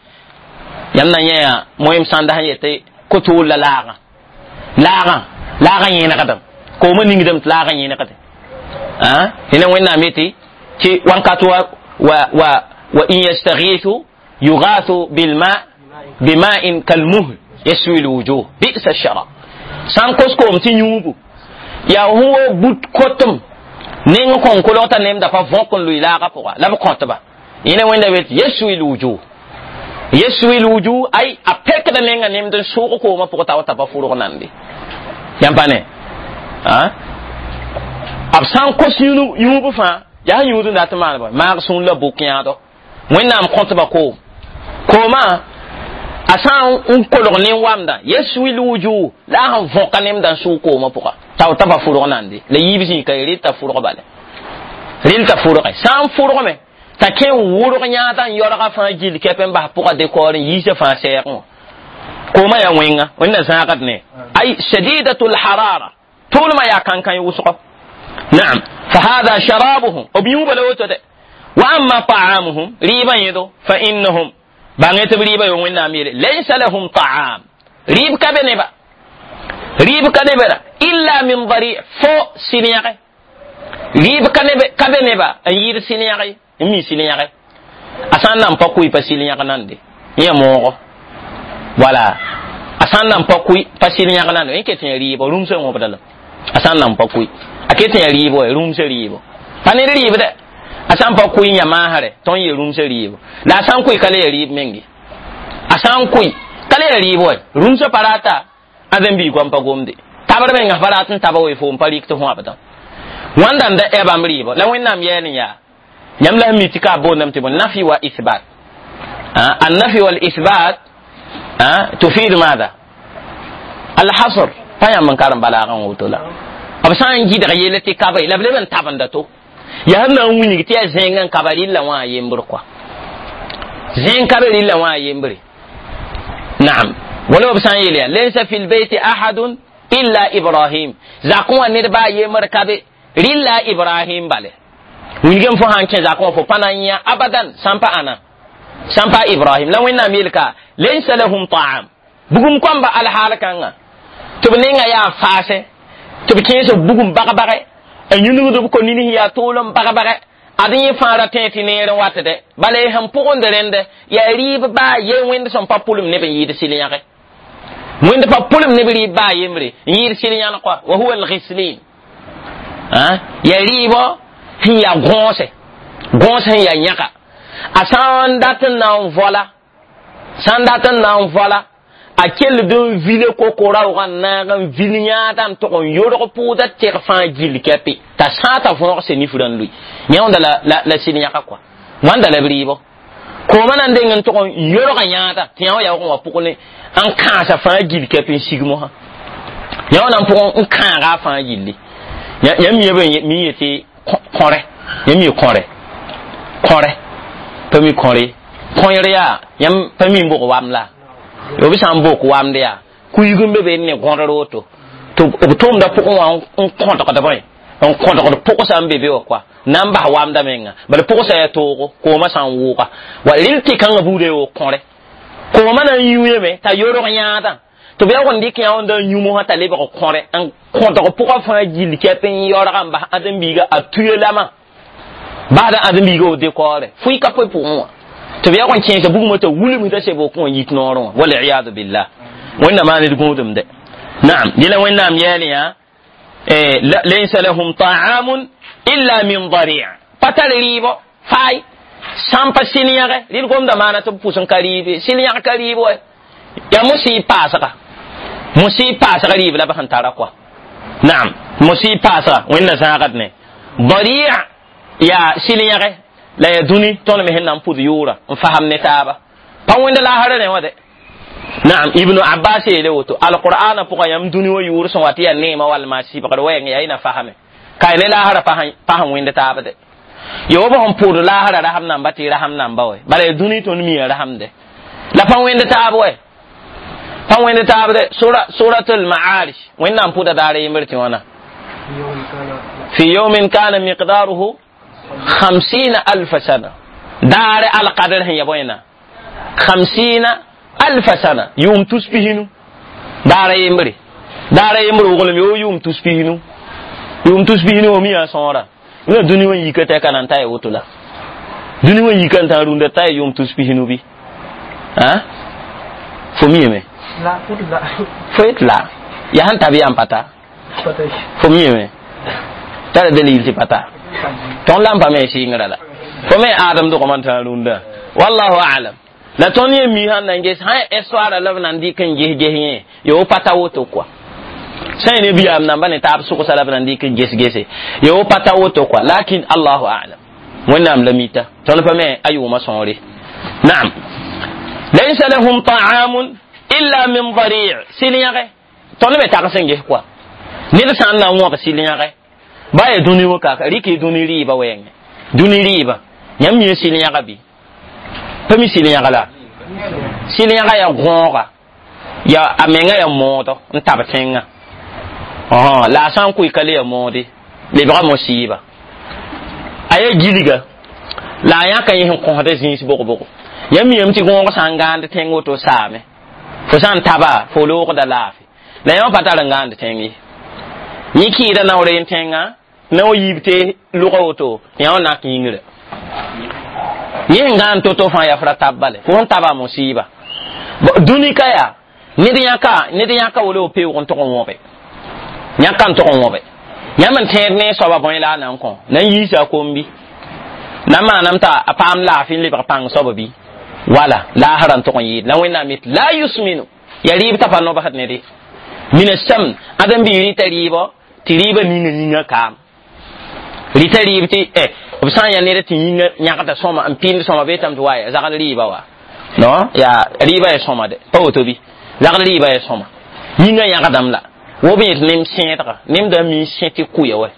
yãmb na yẽ yaa moem sãnda sẽn yetɩ ko-tʋʋl la laagã laagã laagã yẽnegdem kooma ningdame tɩ laagã yẽnegde tɩ wẽnnaam yetɩ tɩ wãnkat wa wa wa wa in yastaghithu yughathu bilma bima'in kalmuhl yaswi lwujuh bi'sa sharab sã n kos koom tɩ yũubu yaa fõ wo but kotem neng kõn kolg t'a nemda pa võk n lʋɩ laagã pʋga la b kõtba yẽne wẽnda be tɩ yaswi lwujuh yaswi lwujuh ay a pekda nenga nemd n sʋʋg koomã pʋgã t'a wa t'a pa fʋrg nande yãmb pa ne b sã n kos yũub fãa yaa sẽn yũud n dat n maan bõe maag sũur la bʋk yãado wẽnnaam kõtba koom koomã a sã n kolg ne wamdã yaswi lwujuh la a sẽn võka nemdã n sʋʋg koomã pʋga t'a t'a pa fʋrg nande la yiib zĩig ka rel t'a fʋrg bala rel t'a fʋrge sã n fʋrgme t'a kẽ n wʋrg yãadã n yaoolga fãa gill kɛp n bas pʋga dekɔɔr n yiisa fãa sɛɛgẽ wã koomã yaa wẽnga wẽnna zãagd ne ay shadidatu lharara tʋʋlmã yaa kãnkãn wʋsgɔ naam fahada sharabuhum b yũuba la woto de wa amma ta'amuhum rɩɩbã yẽdo fa innahum bãngẽ tɩ b rɩɩbã yo wẽnnaam yeele laysa lahum ta'am rɩɩb ka be neba rɩɩb ka nebra illa min dari fo sɩl-yãge rɩɩb ka be neba n yɩɩd sɩl-yãge n mi sɩl-yãge a sã n nan pa kʋɩ pa sɩl-yãg nande yẽ moogo wala a sã n nan pa kʋɩ pa sɩl-yãg nande yẽ ket yã rɩɩbɔ rũmsã wõbda la a sã n nan pa kʋɩ a ket yã rɩɩbɔ rũmsã rɩɩbɔ pa ned rɩɩb dɛ a sã n pa kʋɩ yã maasrɛ tõnd ye rũmsã rɩɩbɔ la a sã n kʋɩ ka le ya rɩɩb menge a sã n kʋɩ ka le ya rɩɩb wa rũmsã pa rata ãdem-biig goam pa gomde tabr menga pa rat n taba we fo n pa rɩk tɩ fõabdã wãnda n da ɛ bãmb rɩɩbɔ la wẽnnaam yɛɛl n yaa yãmb la sẽn mi tɩ ka a boondame tɩ bõe nafi wa ithbat النفي والإثبات تفيد ماذا؟ الحصر pa yãmb n karem balaagã woto la b sã n gɩdg yella tɩ kaba la b leb n tabenda to yaa sẽn na n wilg tɩ yaa zẽeng n kaba rɩlla wã a yembr kɔa zẽeng ka be rɩlla wã a yembre naam wala b sã n yeel yaa laysa fi lbeyti ahadun illa ibrahim zakẽ wã ned baa yembr ka be rɩlla ibrahim bale wilgame fo sã n kẽ zakẽ wã fo pa na n yã abadan sã n pa ãna sã n pa ibrahim la wẽnnaam yeel ka laysa lahum ta'am bugum kõmba alhaal kãnga tɩ b nenga yaa faasẽ tɩ b kẽes b bugum bag-bagɛ n yũnugd b ko-nins yaa toolem bag-bagɛ ad yẽ fãa ra tẽ tɩ neer n watde bala y sẽn pʋgend rẽnd yaa rɩɩb baa ye wẽnd sẽn pa pʋlem neb n yɩɩd sɩl-yãge wẽnd pa pʋlem neb rɩɩb baa yembre n yɩɩd sɩl-yãn kɔa wa huwa alghislin yaa rɩɩbɔ sẽn yaa gõose gõos sẽn yaa yãga a sã n dat n na n vola sã n dat n na n vola a kell n vile kokora-wga n naag n vil yãada n tʋg n yodg pʋʋda teg fãa gill kɛpɩ t'a sã t'a võog se nifrã n lʋɩ yẽ wãnda la la sɩl-yãga kɔa wãnda la b rɩɩbɔ koomã na n deng n tʋg n yodga yãada tɩ yã wã yaoog n wa pʋg ne n kãasa fãa gill kɛp n sig mosã yã wã na n pʋgẽ n kãaga a fãa gilli yãmb mi mi yetɩ kõre yãmb mi kõre kõre pa mi kõre kõer yaa yãmb pa mi n bʋg wam la b sã n bok wamd yaa kuig n be be ne gõdr woto tɩ b tʋʋmda pʋgẽ wã n kõdgd bõe n kõdgd pʋgsa n be be wã kɔa na n bas wamda menga bala pʋgsa yaa toogo koomã sã n wʋʋga wa rel tɩ kãngã buuda yo kõre koomã na n yũyame t'a yodg yãadã tɩ b yaoog n dɩk yã wãnda n yũ mosã t'a lebg kõre n kõdg pʋgã fãa gill kɛp n yaoolga n bas ãdem-biiga a tuya lama basda ãdem-biiga wo dekoore fʋɩ ka poe pʋgẽ wã tɩ b yaoog n kẽesa bugmã t'a wilg t'a seb wokẽ wã yit noorẽ wã waliyadu billah wẽnnaam maa ned gũudum de naam dɩla wẽnnaam yɛɛl yã laysa lahum ta'amun illa min dari' pa tar rɩɩbɔ faay sã n pa sɩl-yãge rɩl gomda maana tɩ b pʋs n ka rɩɩbe sɩl-yãg ka rɩɩb wa yaa mosɩ paasga mosɩ paasga rɩɩb la b sẽn tara kɔa naam mosɩ paasga wẽnna zãagd ne dari' yaa sɩl-yãge la yaa dũni tõnd me sẽn na n pʋd yʋʋra n fasam ne taaba pa wẽnd laasra rẽ wã de Naam, Ibnu Abbas yeele woto alqur'ana pʋgã yãmb dũni wã yʋʋr sẽn wa tɩ yaa neemã walma sɩbgr wɛɛng yaa y na fasame ka ne laasra pasẽn wẽnd taabde yo b sẽn pʋʋd laasra rasam namba tɩ rasam namba wɛ bala ya dũni tõnd mi rasamde la pa wẽnd taab wɛ pa wẽnd taabde sura suratul ma'arij wẽnnaam pʋda daar yembr tɩ wãna fi yawmin kana miqdaruhu خمسين ألف سنة دار القدر هي بوينا خمسين ألف سنة يوم تسبهنو دار يمري دار يمري وغلم يو يوم تسبهنو يوم تسبهنو وميا صورة ina duni wan yika ta kanan ta woto la duni wan yika ta runda ta yum tusbihinu bi ha fo mi me la la fo et la ya han tabi am pata fo mi me tara dalil ti pata ton lampa me singra la fo me adam do ko ta runda wallahu a'lam la ton ye mi han nan ges ha histoire la nan di kan je je ye yo pata woto quoi sai ne biya nan bane ta su kusa labran di kan gese gese yo pata woto quoi lakin Allahu a'lam wannan lamita ton fa me ayu ma sonre na'am laysa lahum ta'amun illa min dhari' silyage ton me ta sen ge quoi ni da san na wo silyage ba ya duni wo ka riki duni riba weng duni riba nyam mi silyage bi pami silyage la silyage ya gonga ya amenga ya modo ntab tenga oh la san kuy kale ya modi lebra musiba aye giliga la ya kan yin ko hada zins boko boko ya mi yam ti gonga sangande tengo to same fo san taba fo lo ko da lafi la yam patara ngande tengi ni ki da nawre tenga na o yibte lugo to ya na kingre ni ngan to to fa ya fra tabale fo taba musiba duni kaya ni de yaka ni de yaka wolo pe won to ko wobe yãka n tʋg n wõbe yãmb n tẽed ne soaba bõe la a na n kõ na n yiisa kombi na n maanam t'a a paam laafɩ n lebg pãng soaba bɩ wala laasra n tʋg n yɩɩd la wẽnnaam yet la yusminu ya rɩɩb t'a pa nobsd ne de mina sam ãdem-biig rɩta rɩɩbɔ tɩ rɩɩbã ninga yĩngã kaam rɩta rɩɩb tɩ b sã n yaa ned tɩ yĩngã yãgda sõma n pɩnd sõma beetame tɩ waya zagl rɩɩba wa non yaa rɩɩbã ya sõma de pa woto bɩ zagl rɩɩbã ya sõma yĩngã yãgdame la wo be yet nem sẽedga nem da mi sẽ tɩ kʋya wɛ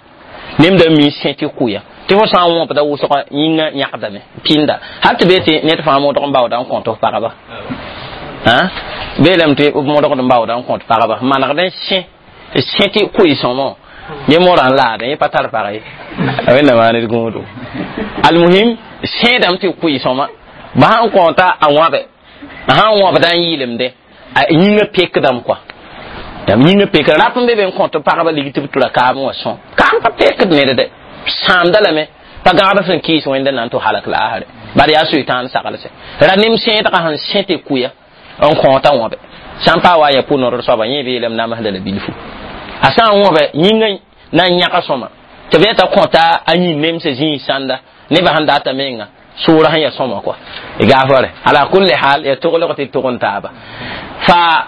nem da mi sẽ tɩ kʋya tɩ fo sã n wõpda wʋsg yĩngã yãgdame pĩnda hal tɩ bee tɩ ned fãa modg n baooda n kõt f pagba beelame tɩ b modgd n baooda n kõt pagba manegd n sẽ sẽ tɩ kʋɩ sõmõ yẽ morã n laadẽ yẽ pa tar pag ye a wẽnna maan d gũudu almuhim sẽedame tɩ kʋɩ sõma ba sãn kõta a wãbe a sãn wãbda n yɩɩlemde a yĩngã pekdame kɔa yam yĩngã pekd rap n be be n kõt pagba lig tɩ b tura kaam wã sõm kaam pa pekd ned de sãamda lame pa gãgd sẽn kɩɩs wẽnda na n tɩ halak laasre bala yaa soetãan saglse ra nem sẽedgã sẽn sẽ tɩ kʋya n kõota wãbe sã n paa wa ya pʋ-nodr soaba yẽ beelame namsda la bilfu a sã n wãbe yĩngã na n yãga sõma tɩ b yeta kõta a yĩn nemsã zĩig sãnda nebã sẽn data menga sʋʋra sẽn ya sõma kɔa gaafare ala kulli hal ya toglg tɩ tʋg n taaba fa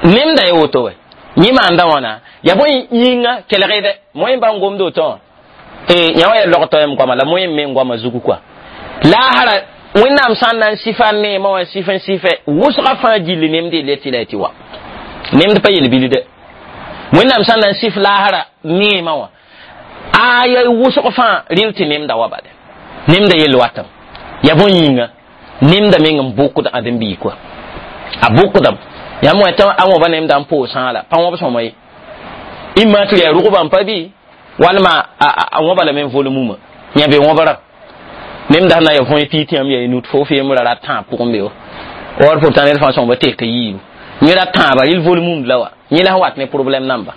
nemda ye woto wɛ yẽ maanda wãna ya bõe yĩnga kelgde moẽ bãng gomd woto wã yã wã ya logtɔ yam goama la moẽ me goama zugu kɔa laasra wẽnnaam sã n na n sɩfa neemã wã sɩf n sɩfɛ wʋsga fãa gilli nemd y le tɩ la y tɩ wa nemd pa yel-bilde wẽnnaam sã n na n sɩf laasra neemã wã a ya wʋsg fãa rɩl tɩ nemda wa bale nemda yell watame ya bõe yĩnga nemda meng n bʋkd ãdem-biig kɔa a bʋkdame yãmb wã tɩ a wõba nemda n poog sãala pa wõb sõma ye imma tɩ yaa rʋgbã n pa bɩ walma a wõba lame n vol mumã yã be wõbrã nemda sẽn na ya võe pii tɩ yãmb yaa nut fo femra ra tãab pʋgẽ be wa or pourtant ned fãa sõmba tek yiibu yẽ ra tãaba rɩl vol mumd la wa yẽ la sẽn wat ne problème namba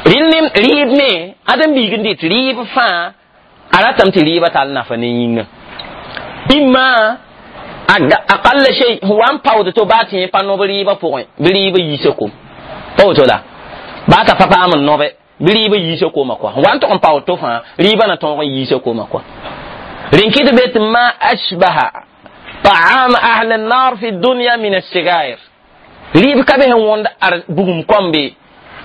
rɩl nem rɩɩb me ãdem-biig n dɩt rɩɩb fãa a ratame tɩ rɩɩbã tall nafa ne yĩngã imma aqall shay huwa n paood to baa tɩ yẽ pa nob rɩɩbã pʋgẽ bɩ rɩɩbã yiisa kom pa woto la baa t'a pa paam n nobe bɩ rɩɩbã yiisa koma kɔa wa n tʋg n paood to fãa rɩɩbã na tõog n yiisa koma kɔa rẽn kɩt be tɩ ma ashbaha ta'am ahli an-nar fi dunya min as-sigair rɩɩb ka be sẽn wõnd ar bugum kõmbe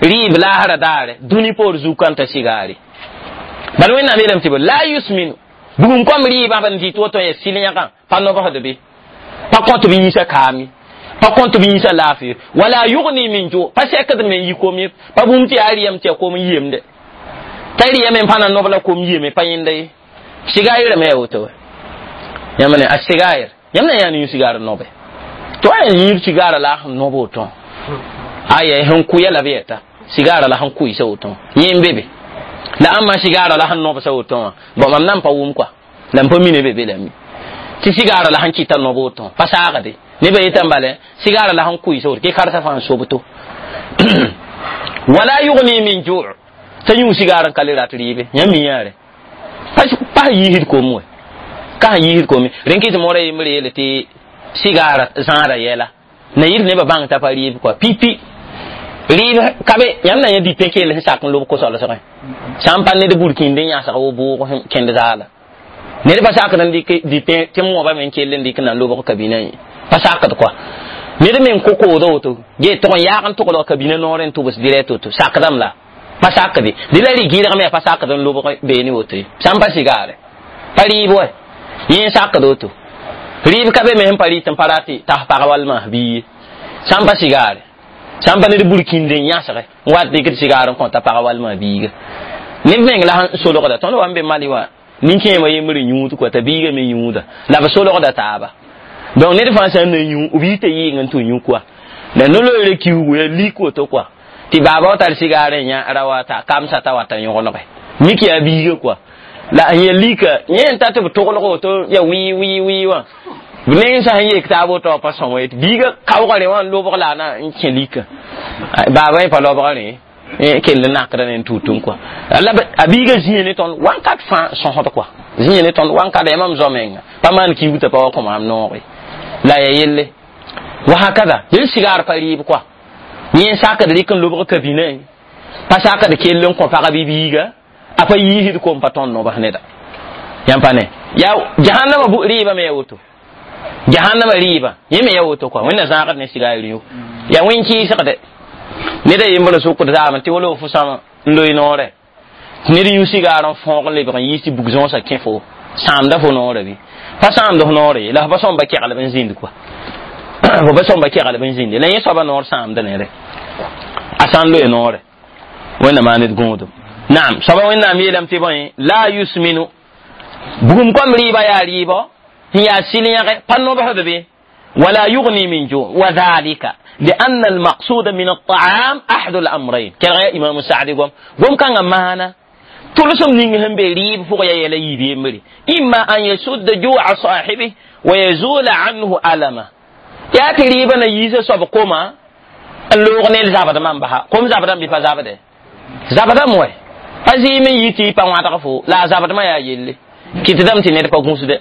rɩɩb laasra daare dũni poor zu-kãntã sigaare bala wẽnnaam yeelame tɩ la yusminu bugum kõm rɩɩbã b n dɩt woto ya sɩl yãgã pa nobsd be pa kõt b yiisa kaame Pa kõt b yĩnsã laafɩ wala yugni min ju pa sɛkd me n yi kom ye pa bũmb tɩ yaa rɩyam tɩ ya kom n yemde t'a rɩyame n pa na nob la kom yeme pa yẽnda ye sigaayirame yaa woto yãmb ne a sigaayir yãmb na yãa yũ sigaar nobe tɩ wa yaa yĩib sigaara la a sẽn nob woto aya sẽn kʋya la b yɛta sigaara la sẽn kʋɩsa woto yẽ n be be la ãmba sigaara la sẽn nobsa woto wã bon mam nan pa wʋm kɔa la n pa mine be be lame tɩ sigaara la sẽn kɩta nob woto pa saagde nebã yetã bala sigaara la sẽn kʋɩsa woto kɩ karsa fãa n sobto wala yugni min ju t'a yũ sigaar n ka le rat rɩɩbe yãmb mi yãare pa sẽn yiisd kom we ka sẽn yiisd kom rẽn kɩ tɩ moora yembre yeele tɩ sigaara zãada yɛla na yɩr nebã bãng t'a pa rɩɩb kɔa pipi rɩɩb ka be yãmb na yã dipẽ kell sẽn sak n lob ko-solsgẽ sã n pa ned burkĩnd n yãsg wo bʋʋg kẽnd zaala ned pa sakd n dɩk dipẽ tɩ moabã me n kell n dɩk na n lobg kabinã ye pa sakd kɔa ned me n ko koodã woto ge tʋg n yaag n tʋglg kabinã noorẽ n tʋbs dirɛt woto sakdame la pa sakde dɩ la rɩ-gɩrg me pa sakd n lobg beene woto ye sã n pa sigaare pa rɩɩb wɛ yẽ n sakd woto rɩɩb ka be me sẽn pa rɩt n pa rat tas pag walma bii ye sã n pa sigaare sã n pa ned burkĩnd n yãsge n wat dɩkd sigaar n kõta pag walma biiga neb meng la sẽn solgda tõnd wa n be mali wã nin-kẽemã yembr n yũud kɔa t'a biiga me yũuda la b solgda taaba donc ned fãa sã n na yũ b yita yɩɩng n tɩ yũ kɔa la no-loeere kiugu ya lik woto kɔa tɩ baaba wa tar sigaar n yã ra wa t'a kamsa t'a wa t'a yõgenege mik yaa biiga kɔa la n ya lika yẽ n ta tɩ b toglg woto ya wɩɩ wɩɩ wɩɩ wã neng sã n yek taab woto pa sõma ye tɩ biiga kaoogã rẽ wã n lobg la a na n kẽ lika baaba yẽ pa lobga rẽ kell n nakda ne n tut n kɔa la a biiga zĩe ne tõnd wãnkat fãa sõsd kɔa zĩe ne tõnd wãnkat yaa mam zo-menga pa maan kiug t'a pa wa kõ maam nooge la ya yelle wa hakada yel sigaar pa rɩɩb kɔa yẽ n sakd rɩk n lobg kabinã pa sakd kell n kõ pagã bɩ biiga a pa yiisd kom pa tõnd nobs neda yãmb pa ne yaa jahannama rɩɩbã me ya woto jahannama rɩɩbã yẽ me ya woto kɔa wẽnna zãagd ne sigaar yũ yaa wẽn-kɩɩsgde ned a yembr sʋkd zaamẽ tɩ wala fo sãma n loe noorɛ ned yũ sigaar n fõog n lebg n yiis tɩ bug zõosã kẽ fo sãamda fo noorã bɩ pa sãamd f noorã ye la f pa sõmba kɛglb n zĩnd kɔa fo pa sõmba kɛglb n zĩnde la yẽ soaba noor sãamda nere a sã n loe noorɛ wẽnna maa ned gõodum naam soaba wẽnnaam yeelame tɩ bõe la yusminu bugum kõm rɩɩba yaa rɩɩbɔ n yaa sɩl-yãge pa nobsd be wala yugni min ju wa dhalika لأن المقصود من الطعام أحد الأمرين كالغاية إمام السعدي قوم قوم كان معنا تلسم نينهم بريب فوق يا يلي بيمري إما أن يسد جوع صاحبه ويزول عنه ألمه يا تريبا ييسا سب قوما اللوغ نيل زابد من بها قوم زابد بفا زابد زابد موي أزي من يتي بان فو لا زابد ما يا يلي كي تدم تنير pa gũusde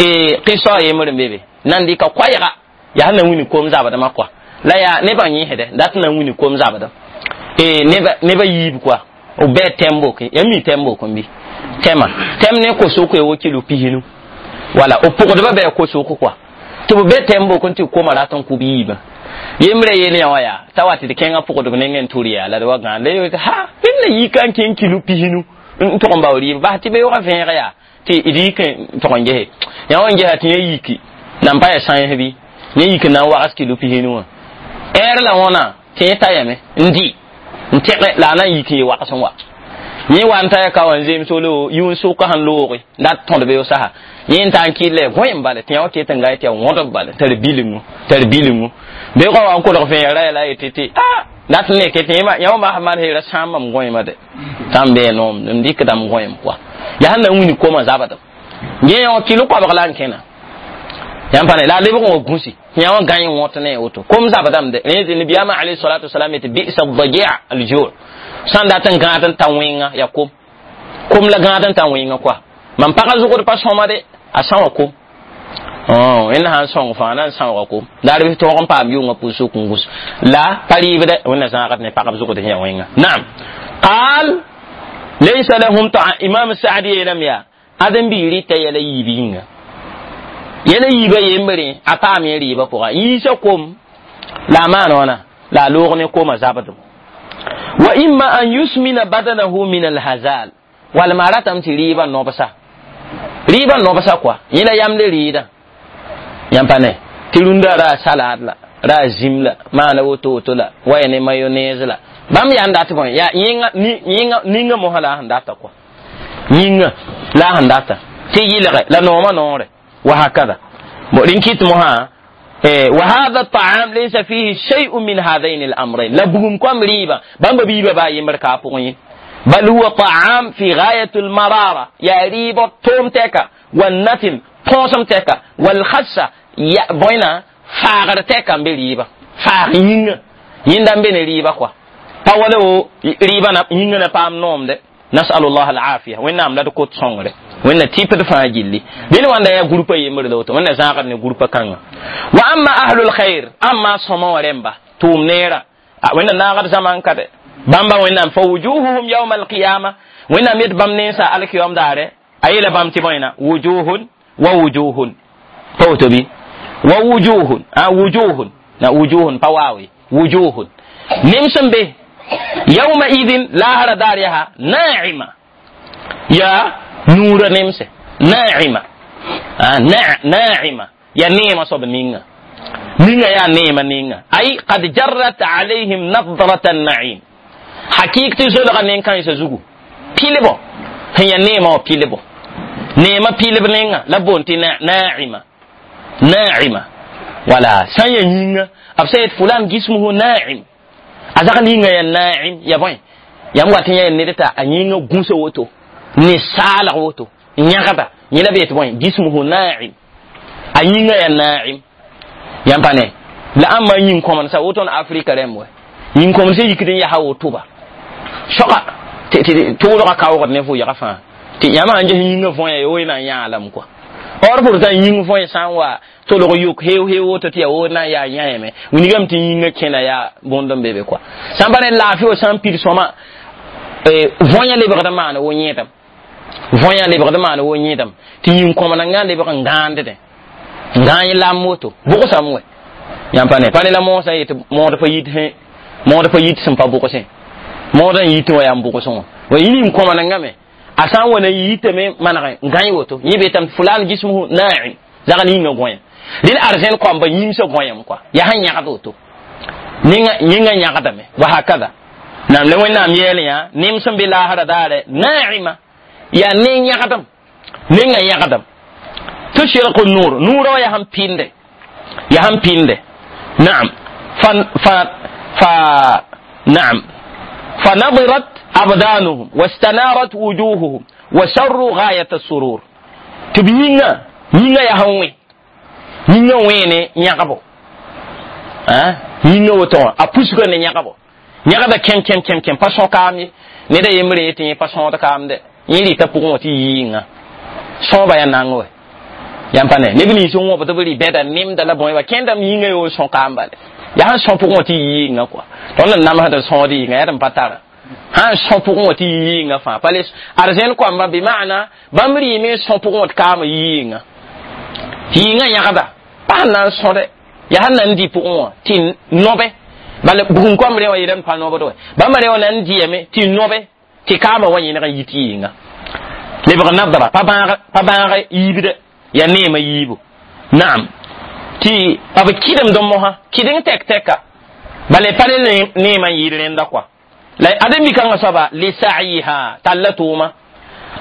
e qissa yembr n be be nan dɩka koɛɛga yaa na wini kom zabdmã kɔa la yaa nebã yẽsdɛ dat na wini kom zabdem e nebã yiib kɔa b bɩ tɛm boke ya mi tɛm bok n bɩ tɛma tɛm ne kosʋk wo kilo pisinu wala b pʋgdbã bɩ kosʋk kɔa tɩ b be tɛm bok n tɩ koma rat n kʋ b yiibã yembrã yeel yã wã yaa t'a wa tɩ d kẽngã pʋgdb nengẽ n tʋr yaa la d wa gãan la ye ha bẽmb na yika n kẽng kilo pisinu n tʋg n bao rɩɩb bas tɩ beoogã vẽeg yaa tɩ d yik n tʋg n gese yã wa n gesa tɩ yẽ yiki nan pa ya sãens bɩ yẽ yik n na n wags kilo pisinu wã ɛɛr la wãna tɩ yẽ ta yame n dɩ n tẽge la a na n yik n ye wags n wa yẽ wa n ta ya ka wã n zems wolo yũun sʋka sẽn looge dat tõd beoog sasa yẽ n ta n kɩl gõem bala tɩ yã wa ket n gaa tɩ ya wõdb bala tar bilingu tar bilingu beoogã wa n kolg vẽegra ya la yetɩ tɩ a dat n neke tɩ yã wa masã maan heera sãam mam gõema de tã n bee noom n dɩkdame gõem kɔa yaa sẽn na n wini koma zabdem yẽ yã wã kilo koabg la n kẽna yãmb pa ne la a lebg n wa gũsi yã wã gãe wõt ne woto kom zabdame de rẽ nabiyaamã alayhi salatu wasalam yetɩ bisa daji alju sã n dat n gãad n ta wẽnga yaa kom kom la gãad n ta wẽnga kɔa mam pagã zʋgd pa sõma de a sã wã kom wẽnna sã n sõng fãa na n sãooga kom daar bɩ tõog n paam yʋngã pʋʋs n gũs la pa rɩɩbdɛ wẽnna zãagd ne pagb zʋgd sẽn yaa wẽnga naam qaal laysa lahum taam imam saadi yeelame yaa ãdem-biig rɩta yɛla yiib yĩnga yɛla yiibã yembre a paam yẽ rɩɩbã pʋga yiisa kom la a maan wãna la a loog ne koma zabdem wa imma an yusmina badanahu min alhazal walma a ratame tɩ rɩɩbã nobsa rɩɩbã nobsa kɔa yẽ la yamd rɩɩdã yãmb pa ne tɩ rũndã ra a salad la Ra zim la maana woto woto la waya ne mayonnaise la bãmb yaa n dat bõe yaa yẽnga yẽnga ninga mosã la a sẽn data kɔa yĩnga la a sẽn data tɩ yɩlge la noomã noore wa hakada bo rẽn kɩt mosã وهذا الطعام ليس فيه شيء من هذين الأمرين لا بغم كم ريبا بامبا بيبا با يمر كابوين بل هو طعام في غاية المرارة يا ريبا توم تكا والنتن بونسم تكا والخسة يا بوينا فاغر تكا بريبا فاغ ينغ يندم بين ريبا كوا تولو ريبا ينغ نبام نوم ده نسأل الله العافية وين نام لا تكوت صنغره وين تيب دفع جلي دين وانا يا غروبا يمر دوتو وين زاغر ني غروبا كان واما اهل الخير اما سما ورمبا توم نيرا وين ناغر زمان كده بامبا وين فوجوههم يوم القيامه وين ميت بام نيسا الك يوم داره ايلا بام تي بوينا وجوه ووجوه توتبي ووجوه ا وجوه نا وجوه فواوي وجوه نمسم به يومئذ لا هر دارها ناعمة يا نور نمسه ناعمة آه ناعمة يا نيمة صب نينga نينga يا نيمة نينga أي قد جرت عليهم نظرة النعيم حقيقة زلغة نينكا يسزوغو بيلبو هي نيمة بيلبو نيمة بيلب نينga لبونتي ناعمة ناعمة ولا سنيا نينga أبسيت فلان جسمه ناعم azag ninga ya na'im ya bõe yãmb wat n yã ned t'a a yĩngã gũsa woto ne saalg woto n yãgda yẽ la be tɩ bõe jismuhu na'im a yĩngã ya na'im yãmb pa ne la ãmba yĩn-kõmdsa woto n Afrika rẽmb wɛ yĩn-kõmdsã yikd n yaa wotoba soga tʋʋlgã kaoogd ne vʋɩgã fãa tɩ yãmb sãn ges yĩngã võe ya woe na n yãa lame kɔa or pourtant yĩng võe sã n wa tolg yʋk heu heu woto tɩ ya wo na n yaa yãeme wilgame tɩ yĩngã kẽna yaa bõnd n be be kɔa sã n pa ne laafɩ wa sã n pid sõma võyã lebgd n maana wo yẽedam võyã lebgd n maana wo yẽedam tɩ yĩn-kõmdngã lebg n gãandẽ n gãa yẽ lam woto bʋgsame wɛ yãmb pa ne pa ne la moosã yetɩ mood pa yit mood pa yit sẽn pa bʋgsẽ mood n yitẽ wa yaa n bʋgsẽ wã wa yĩn-kõmdngã me a sã n wa na yitame maneg n gãe woto yẽ beetame fulan jismuhu na'im zagl yĩngã gõe rẽd arzẽn koamba yĩmsã gõyame kɔa yaa sẽn yãgd woto yĩngã yãgdame wa hakada nam la wẽnnaam yɛɛl yã nem sẽn be laasra daare na'ima yaa ne yãgdem nengã yãgdem tushriqu nur nuurã wã yaa sẽn pɩnde yaa sẽn pɩnde naam fa fa fa naam فنضرت أبدانهم واستنارت وجوههم وسروا غاية السرور تبينا نينا يا هوي نينا وين نيغابو ها نينا وتو أبوسكو نيغابو نيغابا كم كم كم كم باسون كامي نيدا يمري تي باسون كام دي يلي تبوغو تي يينا صوبا يا نانغو يامباني نبني سونو بتبري بيدا نيم دلا بوي وكندم يينا يو سون كامبال yaa sõ pʋgẽ wã tɩ yɩɩngã kɔa tõnd n namsd sõod yɩnga yaa d n pa tara sãn sõ pʋgẽ wã tɩ yɩɩngã fãa pa le arzẽn koamba bɩ maana bãmb rɩɩme n sõ pʋgẽ wã tɩ kaam yɩɩngã yɩɩngã yãgda pa sẽn na n sõde yaa sẽn na n dɩ pʋgẽ wã tɩ nobe bala bugum koamb rẽ wã yeelame pa nobd wɛ bãmba rẽ wã na n dɩyame tɩ nobe tɩ kaamã wa yẽneg n yit yɩɩngã lebg nadra pa bãag yiibde yaa neemã yiibu naam tɩ b kɩdemd mosã kɩdeng tɛk tɛka bala pa ne neemã n yɩɩd rẽnda kɔa la ad mikãngã soaba lisa'yiha talla tʋʋma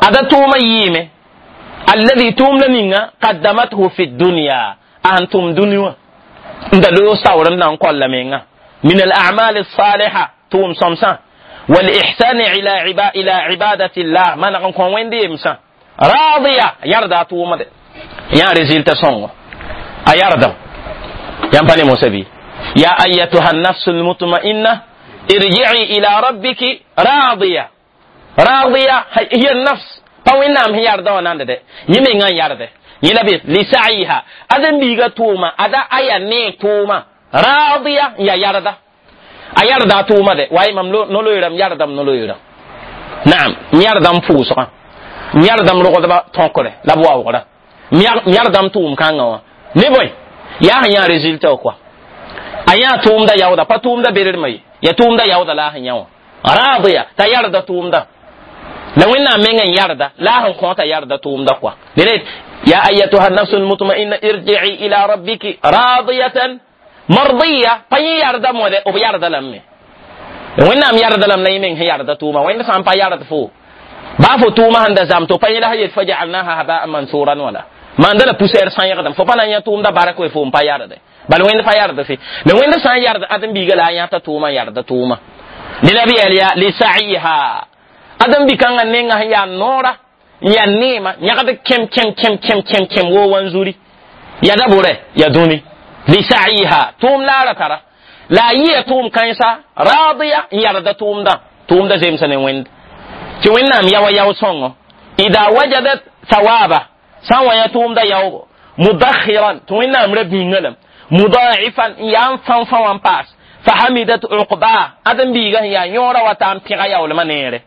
ada tʋʋma yɩɩme alladhi tʋʋm la ninga qaddamathu fi dunya a sẽn tʋm dũni wã n da loog saoor n na n kolla menga min al-a'mal as-saliha tʋʋm sõmsã wal-ihsan ila ila ibadati llah maneg n kõ wẽnd yemsã radiya yarda a tʋʋmde yã résultat sõngo أيردم ينبني موسى يا أيتها النفس المطمئنة ارجعي إلى ربك راضية راضية هي النفس فوين هي يرضى وناند ده يمين يرضى يلبي لسعيها أذن بيغا توما أدا أيا ني توما راضية يا يرضى أيرضى توما ده واي مملو نلو يرم يرضى نلو يرم نعم يرضى فوسا يرضى رغدبا تونكره لبوا وغدا يرضى توم كانوا ne boy yaa sẽn yã résultat kɔa a yã tʋʋmda yaooda pa tʋʋmda berermã ye ya tʋʋmda yaooda la a sẽn yã wã radiya t'a yarda tʋʋmda la wẽnnaam meng n yarda la a sẽn kõ t'a yarda tʋʋmda kɔa ya ayatuha nafsu lmutmainna irji'i ila rabbiki radiyatan mardiya pa yẽ yarda mode b yarda lame wẽnnaam yarda lame la yẽ meng sẽn yarda tʋʋma wẽnd sã n pa yard fo baa fo tʋʋma sẽn da zam to pa yẽ la yet fa jaalnaha habaan mansuran wala maanda la poussière sãyegdame fo pa na n yã tʋʋmda bark we fo n pa yarde bal wẽnd pa yard fe la wẽnd sã n yard ãdem-biiga la a yãta tʋʋma n yarda tʋʋma ne la b yɛl yaa lisaiha ãdem-bi-kãngã nenga sẽn yaa noora n yaa neema yãgd kẽm kẽm kẽm kẽm kẽm kẽm woo wanzuri ya da bʋrɛ ya dũni lisaiha tʋʋm laara tara la a yɩa tʋʋm kãensa raadiya n yarda tʋʋmdã tʋʋmda zemsa ne wẽnd tɩ wẽnnaam yaoa yao sõngo ida wajadat thawaba sã n wa yã tʋʋmda yaoogo mudakhiran tɩ wẽnnaam ra bĩnga lame mudaifan n yaa n fãn fã wã n paas fahamidat uqba ãdem-biiga sẽn yaa yõora wa ta n pẽga yaoolmã neere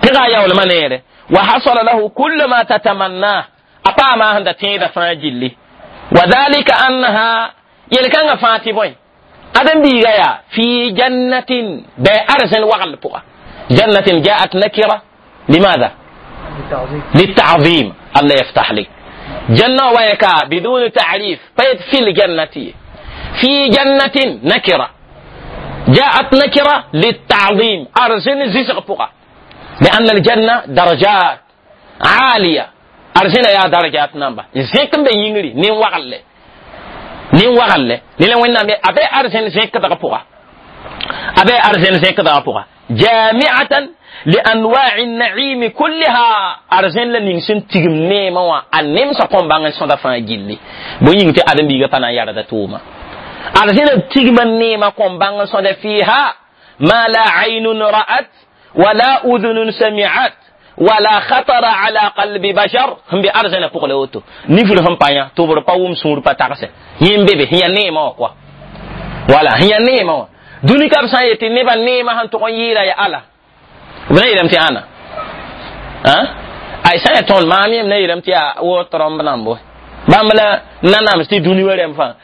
pẽga yaoolmã neere wa hasala lahu kullu ma tatamanna a paama sẽn da tẽeda fãa gilli wa dhalika annaha yel-kãngã fãa tɩ bõe ãdem-biiga yaa fi jannatin bɩ arzẽn wagl pʋga jannatin jaat nakira limaada للتعظيم الله يفتح لك جنة ويكا بدون تعريف فيت في الجنة في جنة نكرة جاءت نكرة للتعظيم أرزن زيزغ بقى لأن الجنة درجات عالية أرزن يا درجات نمبا زيكم بينغري نين وغل نين وغل نين وين نامي أبي أرزن زيك دغ بقى أبي أرزن زيك دغ بقى جامعة لأنواع النعيم كلها أرزن لنين تيغم نيما وا أنم سقوم بانغ سوندا فان جيلي بو ينتي أدم بيغا فانا ياردا توما أرزن تيغم نيما قوم بانغ سوندا فيها ما لا عين رأت ولا أذن سمعت ولا خطر على قلب بشر هم بأرزن فوق لوتو نفل هم بايا توبر باوم سور باتارس يم بيبي هي نيما كوا ولا هي نيما دوني كاب سان يتي نيبا نيما هن تقون ييرا يا الله b na yeelame tɩ ãna ay sã n yaa tõnd maam yem na yeelame tɩ yaa wo trɔmb nãmbo bãmb la nanams tɩ dũni wa rẽmb fãa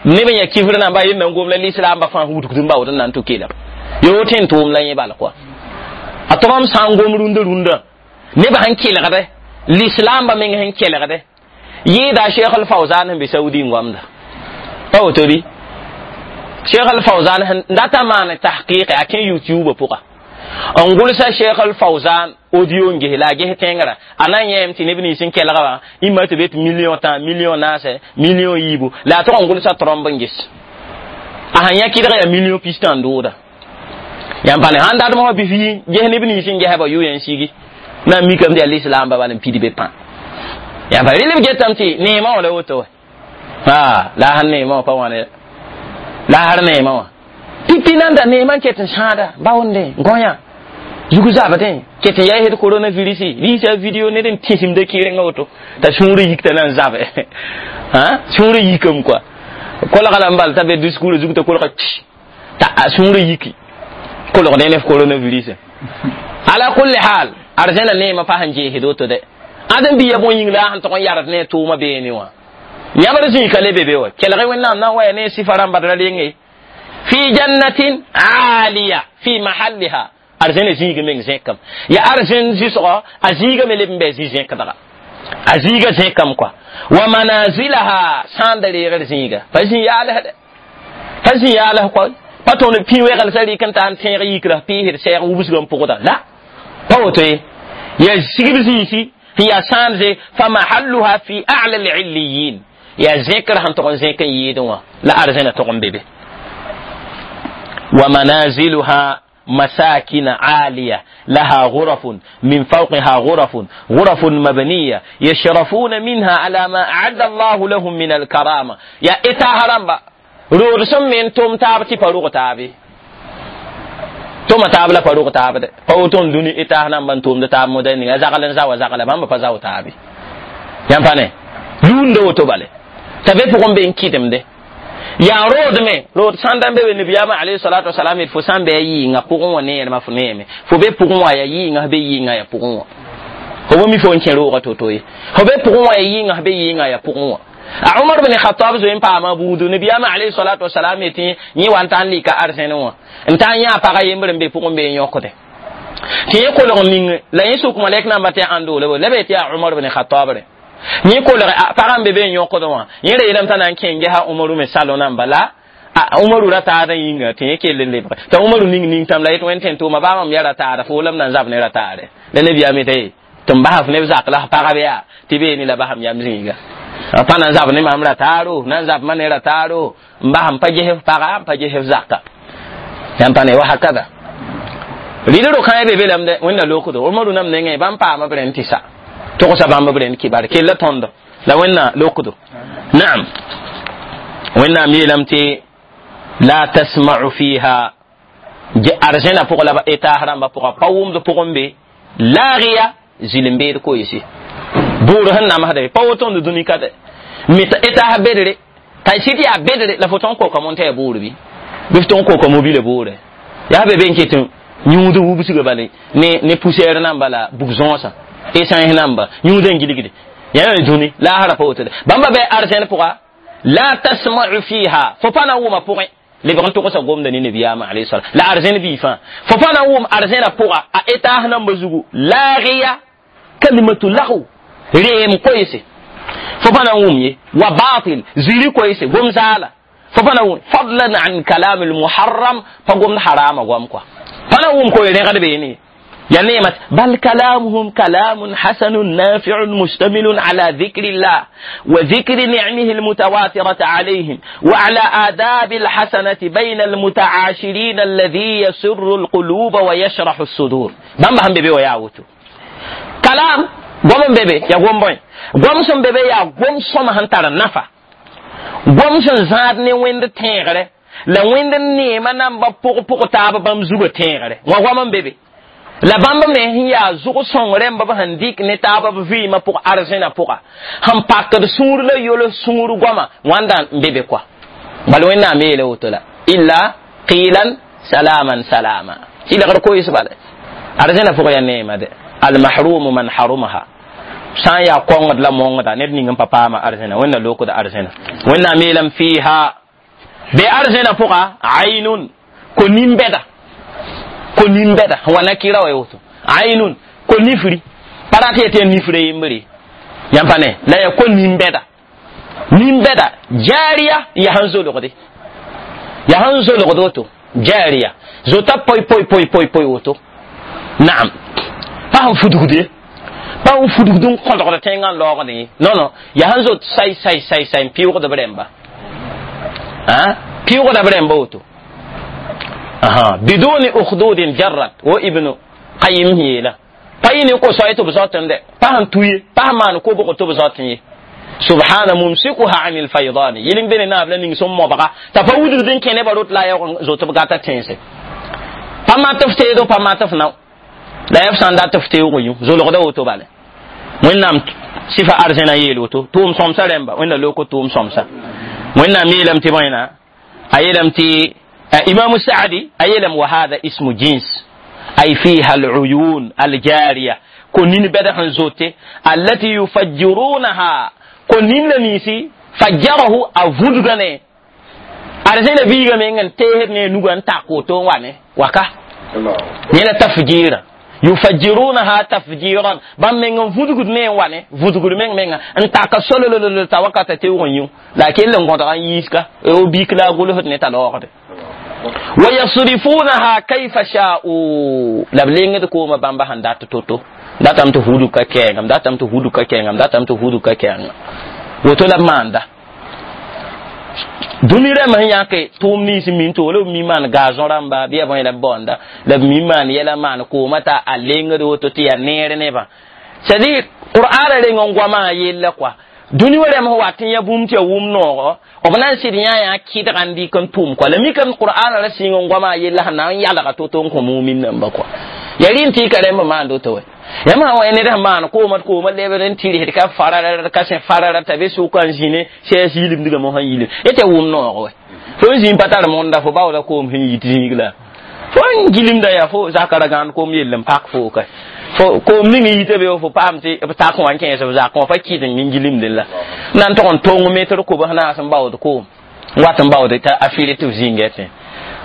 neb n yaa kifr namba yel nan gom la lislaamba fãa wudgd n baood n na n tʋ kelem yo tẽn tʋʋm la yẽ bal kɔa a trɔmb sã n gom rũndã rũndã nebã sẽn kelgde lislaamba meng sẽn kelgde yɩɩda Cheikh al-Fawzan sẽn be Saudi n goamda pa woto bɩ Cheikh al-Fawzan sẽn data maan tahqiqe a kẽ YouTube pʋga n gʋlsa Cheikh al-Fawzan audio n ges la a ges tẽngrã a na n yẽem tɩ neb nins n kelga wã imã tɩ be tɩ million tã million naasɛ million yiibu la a tog n gʋlsa trɔmb n ges a sãn yã kɩdg yaa million pistã n dooda yãmb pa ne sãn datm wã bɩ fi ges neb nins n gesba yʋ yã n sigi na n mikame tɩ yaa lislaamba bal n pid be pã yãmb pa rel b getame tɩ neemã wã la woto wa la a sãn neemã wã pa wãne la a sar neemã wã pipi nan da neemã n ket n sãada baoonde gõyã zugu zabdẽ ket n yaa sed coronavirus rĩisa video ned n tĩsimda kɩɩrengã woto t'a sũurã yikta na n zabe sũurã yikame kɔa kolga la n bal t'a be discours zug t'a kolga t'a a sũurã yiki kolgdẽ ne f coronavirus ala kulli hal arzẽna neemã pa sẽn jeesd woto dɛ ãdem biya bõe yĩng la a sẽn tog n yard ne tʋʋmã beene wã yãbr zĩika le be be wa kelg wẽnnaam na n waya ne sifa rãmba d ra renge fi jannatin aliya fi mahalliha arzẽna zĩig meng zẽkame ya arzẽn zɩsgɔ a zĩigame leb n bɩ a zĩ zẽkdga a zĩiga zẽkame kɔa wa manazilaha sã n da reegr zĩiga pa zĩ yaalsdɛ pa zĩ yaals kɔa pa tõnd pĩ wegl sã rɩk n ta n tẽeg yikra pɩɩsd sɛɛg wubsg n pʋgda la pa woto ye ya sigb zĩisi sẽn yaa sãamze fa mahalluha fi a'la al-illiyin ya zẽkr sẽn tog n zẽk n yɩɩdẽ wã la arzẽna tog n be be wa manaziluha مساكن عالية لها غرف من فوقها غرف غرف مبنية يشرفون منها على ما أعد الله لهم من الكرامة يا إتا هرمبا رورسم من توم تاب تي فروغ تابي توم تاب لا فروغ تاب فوتون دوني إتا هنم من توم تاب مدني زغلن زاو زغل بام فزاو تابي يام لون دو تو تبي فوقم بين كيتم ده yaa rood me rood sãn da n be be nabiyaamã alayhi salatu wasalam d fo sã n bɩ a yɩɩngã pʋgẽ wã neermã fo neeme fo be pʋgẽ wã yaa yɩɩngã be yɩɩngã yaa pʋgẽ wã fo bo mi fo n kẽ roogã to-to ye fo be pʋgẽ wã yaa yɩɩngã be yɩɩngã yaa pʋgẽ wã a Umar bin Khattab zoe n paama buudu nabiyaamã alayhi salatu wasalam yetɩ yẽ wa n ta n lika arzẽne wã n ta n yã pagã yembr n be pʋgẽ be n yõkde tɩ yẽ kolg ning la yẽ sʋk malɛk namba tɩ ãn doole la be tɩ yaa Umar bin Khattab re yẽ kolg pagã n be be n yõkd wã yẽ ra yeelame t'a na n kẽ n gesa Umaru me salo namba la Umaru ra taada yĩnga tɩ yẽ kell n lebge t'a Umaru ning ning tãm la yet wẽnd tẽn tʋʋma baa mam ya ra taada fo la m na n zab ne ra taare la nabiyaam yeta ye tɩ m basa f neb zak la f pagb yaa tɩ beene la basam yam zĩiga pa na n zab ne mam ra taaro na n zab ma ne ra taaro n basam pa ges f paga n pa ges f zaka yãmb pa ne wa hakada rɩd ro-kãe be be lame dɛ wẽnna lokdo Umaru nam nengẽ bãmb paama b rẽnd tɩ sa togsa bãmb b rẽnd kibare kella tõndo la wẽnna lokdo naam wẽnnaam yeelame tɩ la tasma'u fiha arzẽna pʋg la etaas rãmbã pʋga pa wʋmd pʋgẽ be laagiya zɩlem-beed koeese buur sẽn namsda pa woto n dũni ka dɛ me etaas bedre t'a sɩd yaa bedre la fo tõn koka mon t'a yaa buur bɩ bɩ f tõn koka mobile buure yaa be be n ket yũud wubsga bale ne ne poussière namba la bug-zõosã essence namba yũud n gilgde yaa dũni laasra pa woto bãmba bɩ arzẽn pʋga la tasma'u fiha fo pa na wʋma pʋgẽ lebg n togsa gomda ne nabiyaamã alayhi salam la arzẽn bii fãa fo pa na wʋm arzẽna pʋga a etaas namba zugu laagiya kalimatu lahu reem koeese fo pa na wʋm ye wa batil ziri koeese gom zaala fo pa na wʋm fadlan an kalam almuharram pa gomd harama goam kɔa pa na wʋm koe rẽgd beene يا نعمة بل كلامهم كلام حسن نافع مشتمل على ذكر الله وذكر نعمه المتواترة عليهم وعلى آداب الحسنة بين المتعاشرين الذي يسر القلوب ويشرح الصدور بام هم بيبي وياوتو كلام قوم بيبي يا قوم بوين قوم سم بيبي يا قوم سم هنتر نفع قوم سم زادني وين تيغره la wẽnd neema namba pʋg pʋg taab bãmb zugã tẽegre wã goam n be be la bãmb me sẽn yaa zʋg sõng rẽmba b sẽn dɩk ne taab b vɩɩmã pʋg arzẽna pʋga sẽn pakd sũur la yol sũur goama wãnda n be be kɔa bal wẽnnaam yeela woto la illa qilan salaman salama tɩlgr koees bala arzẽna pʋg yaa neema de almahrumu man harumaha sã n yaa kõngd la mongda ned ning n pa paama arzẽna wẽnna lokd arzẽna wẽnnaam yeelame fiiha be arzẽna pʋga aynun ko nin-bɛda ko nin-bɛda wa nakira wa woto aynun ko nifri pa rat yetɩ ya nifra yembre yãmb pa ne la ya ko nin-bɛda nin-bɛda jaariya ya sẽn zolgde ya sẽn zolgd woto jaariya zota poy poy poy poy poy woto naam pa sẽn fudgd ye pa sẽn fudgd n kõdgd tẽngã n laoogd ye non non ya sẽn zot say say say say n pɩʋgd b rẽmba pɩʋgda b rẽmba woto aha biduni ukhdudin jarrat wo ibnu qayyim yeela pa yɩ ne ko-soay tɩ b zoatẽ dɛ pa sẽn tu ye pa sẽn maan kobg tɩ b zoatẽ ye subhana mumsikuha an lfaidani yɩl n be ne naab la ning sẽn mobga t'a pa wudgd n kẽ nebã rot la a yaoog zot b gata tẽnse pa mat f teedo pa mat f nao la ya f sã n dat f teoog yũ zolgda woto bale wẽnnaam sɩfa arzẽna yeel woto tʋʋm sõmsa rẽmba wẽnna loko tʋʋm sõmsa wẽnnaam yeelame tɩ bõena a yeelame tɩ imam saadi a yeelame wa hada ismu jins ay fiha aluyun aljariya ko nin bɛd sẽn zote allati yufajjirunaha ko nin la ninsi fajjarahu a vudga ne arzẽna biiga meng n teesd ne nuga n tak woto n wa ne waka yẽ la tafjira yufajjirunaha tafjiran bãmb meng n vudgd ne n wa ne vudgd meng menga n taka solololol t'a wakata teoog n yũ la a kell n gõdga n yiiska o biik la a gʋlsd ne t'a laoogde wa yasrifunaha kayfa sha'u la b lengd koomã bãmba sẽn dat to-to datame tɩ hudg ka kɛɛngam datame tɩ hudg ka kɛɛngam datame tɩ hudg ka kɛɛngam woto la b maanda dũni rãmb sẽn yãke tʋʋm nins min to la b mi maan gazon rãmba bɩ ya bõe la b baoonda la b mi maan yɛla maan koomã t'a a lengd woto tɩ yaa neer nebã c'est à dire qur'ana reng n goamã yella kɔa dũni wa rãmb sẽn wat n yã bũmb tɩ ya wʋm noogo b na n sɩd yã yaa kɩdga n dɩk n tʋm kɔa la mikame qur'ana ra sɩng n goamã yella sẽn na n yalga to-to n kõ mumin namba kɔa ya rɩ n tɩ ka rẽmb maand woto wɛ yãmb sã wa ned sẽn maan kooma kooma lebd n tɩrsd ka farara ka sẽ farara t'a be sʋka n zĩne sɛɛs yilimdgame sẽn yilim y tɩ wʋm noog wɛ fo n zĩn pa tar mõnda fo baooda koom sẽn yit zĩig la fo n gilimda yaa fo zaka ra gãand koom yell n pak fo ka fo koom ning yita be fo paam tɩ b tak wã n kẽes b zakẽ wã pa kɩt n gilimdẽ la na n tog n tong metr kobs naas n baood koom n wat n baood t'a a fɩr tɩ b zĩnga tẽ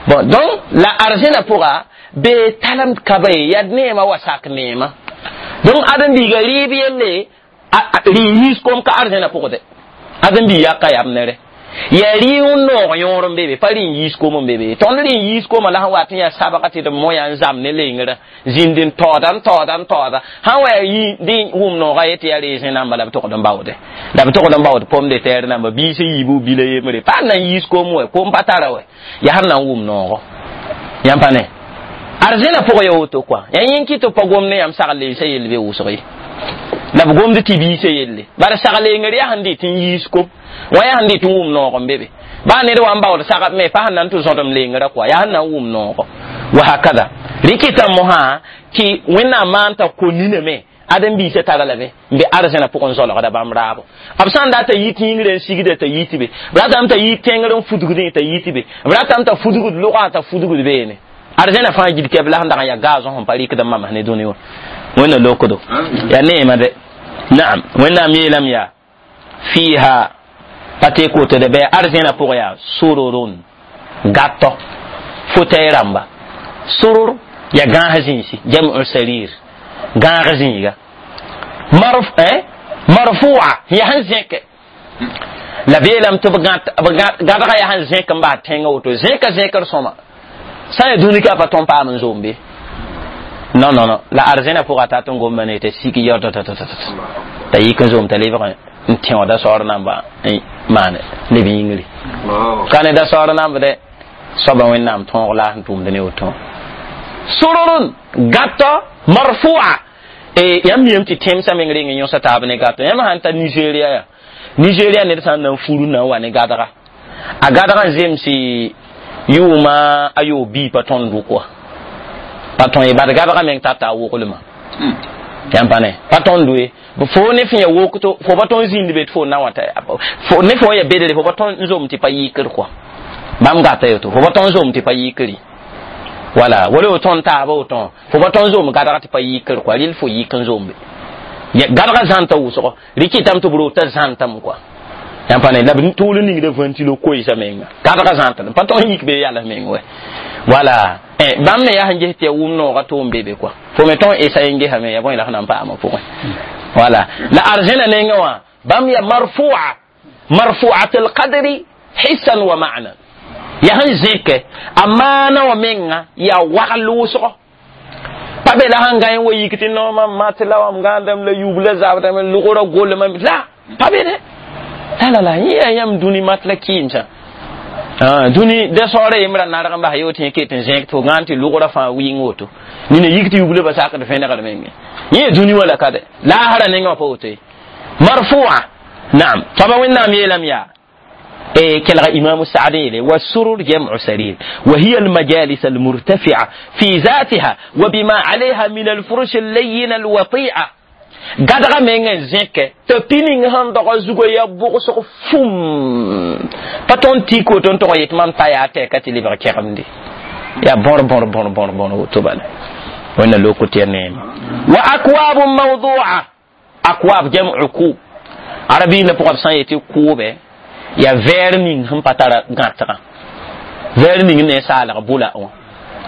bon donc la arzẽna pʋga bee talem kaba ye yaa neema wa sak neema donc ãdem-biiga rɩɩb yelle rɩ yĩns kom ka arzẽna pʋgde ãdem-biig yaka yam nere Ya rɩ n noog yõor n be be pa rɩ n yiis kom n be be tõnd rɩ n yiis koma la sẽn wat n yaa sabga tɩ d moya n zam ne lengrã zĩnd n taooda n taooda n taooda sãn wa yaa dẽ wʋm nooga ye tɩ yaa reesẽ namba la b togd n baoode la b togd n baood pom de tɛɛr namba biis n yiibu bila yembre pa n na n yiis kom wɛ kom pa tara wɛ yaa sẽn na n wʋm noogo yãmb pa ne arzẽna pʋgã ya woto kɔa yaa yẽn kɩ tɩ pa gom ne yãmb sagl lensã yell be wʋsg ye la b gomd tɩ biisã yelle bara sagl lengr yaa sẽn dɩt n yiis kom wã yaa sẽn dɩt n wʋm noog n be be baa ned wa n baood sagb me pa sẽn na n tɩ zõdem lengrã kɔa yaa sẽn na n wʋm noogo wa hakada rɩkɩta mosã tɩ wẽnnaam maan t'a ko niname ãdem-biisã tara lame n be arzẽna pʋgẽ zoalgda bãmb raabo b sã n dat t'a yi tĩigrã n sigda t'a yi tɩ be b ratame t'a yi tẽngr n fudgdẽ t'a yi tɩ be b ratame t'a fudgd logã t'a fudgd beene arzẽna fãa gil kɛb la sẽn dag n yaa gaazõ sẽn pa rɩkd n mamas ne dũni wã wẽnna lokdo yaa neema de naam wẽnnaam yeelame yaa fiiha pa teek woto de bɩ arzẽna pʋgẽ yaa sururun gatɔ fotɛɛ rãmba surur yaa gãas zĩisi jam'u sarir gãag zĩiga marf eh marfu'a yaa sẽn zẽke la beelame tɩ b gãdga yaa sẽn zẽk n bas tẽngã woto zẽka zẽkr sõma sã n yaa dũni ka pa tõnd paam n zoom be non non non la arzẽna pʋga tat n gomda ne t'a sik yɔtɔtɔtɔtɔ t'a yik n zoom t'a lebg n tẽoda saoor namba n maane leb yĩngri ka ne da saoor namb dɛ soaba wẽnnaam tõog la sẽn tʋʋmd ne woto sururun gatɔ marfu'a e yãmb miyame tɩ tẽmsã meng reng n yõsa taab ne gatɔ yãmb sãn ta Nigeria ya Nigeria ned sã n na n furu na n wa ne gadga a gadga n zemsi yʋʋma a yoog bii pa tõnd dʋk wa pa tõe ye bad gadga meng tata a woglmã yãmb pa ne pa tõnd ye fo ne fẽ ya wokto fo pa tõnd zĩnd be tɩ fo na wã t'a ne fo ya bedre fo pa tõnd n zom tɩ pa yɩkr kɔa bãmb gata yoto fo pa tõnd zom tɩ pa yɩkri wala wala o tõnd taaba woto fo pa tõnd zom gadga tɩ pa yɩkr kɔa rɩl fo yɩk n zombe gadga zãnta wʋsgo rɩkɩtame tɩ b rota zãntame kɔa yãmb pa ne la b tʋʋl n ningda ventilo koeesa menga gadga zãnta pa tõnd yik be yals meng wɛ wala bãmb me yaa sẽn ges tɩ ya wʋm noogã tʋʋm be be kɔa fo me tõnd esa n gesame ya bõe la sẽn na n paama pʋgẽ wala la arzẽna nengã wã bãmb ya marfu'a marfu'at alqadri hissan wa ma'nan ya sẽn zẽke a maana wã menga yaa wagl wʋsgo pa be la sẽn gã wa yik tɩ noomã mat la wam gãandame la yub la zabdame logrã golma la pa be dɛ la la la yẽ yaa yãmb dũni mat la kɩɩmsã dũni da saoora yembra narg n bas yo tɩ ket n zẽk tɩ fo gãan tɩ logrã fãa wɩng woto nina yik tɩ yubla ba sakd vẽnegd menge yẽ dũni wã la ka dɛ laasra nengã wã pa woto ye marfu'a naam soaba wẽnnaam yeelame yaa كلغ إمام السعدي والسرر جمع سرير وهي المجالس المرتفعة في ذاتها وبما عليها من الفرش اللين الوطيئة gadga meng n zẽke tɩ pĩning sẽn dog zugã yaa bʋgsg fum pa tõnd tik woto n tog n yet mam ta yaa tɛka tɩ lebg kɛgemde yaa bõr bõr bõr bõr bõr woto bala wẽnna loko tɩ ya neema wa akwabun mawdua akwab jam'u kub arabiinã pʋgã b sã n yetɩ kʋʋbɛ ya vɛɛr ning sẽn pa tara gãtgã vɛɛr ning ne saalg bʋla wã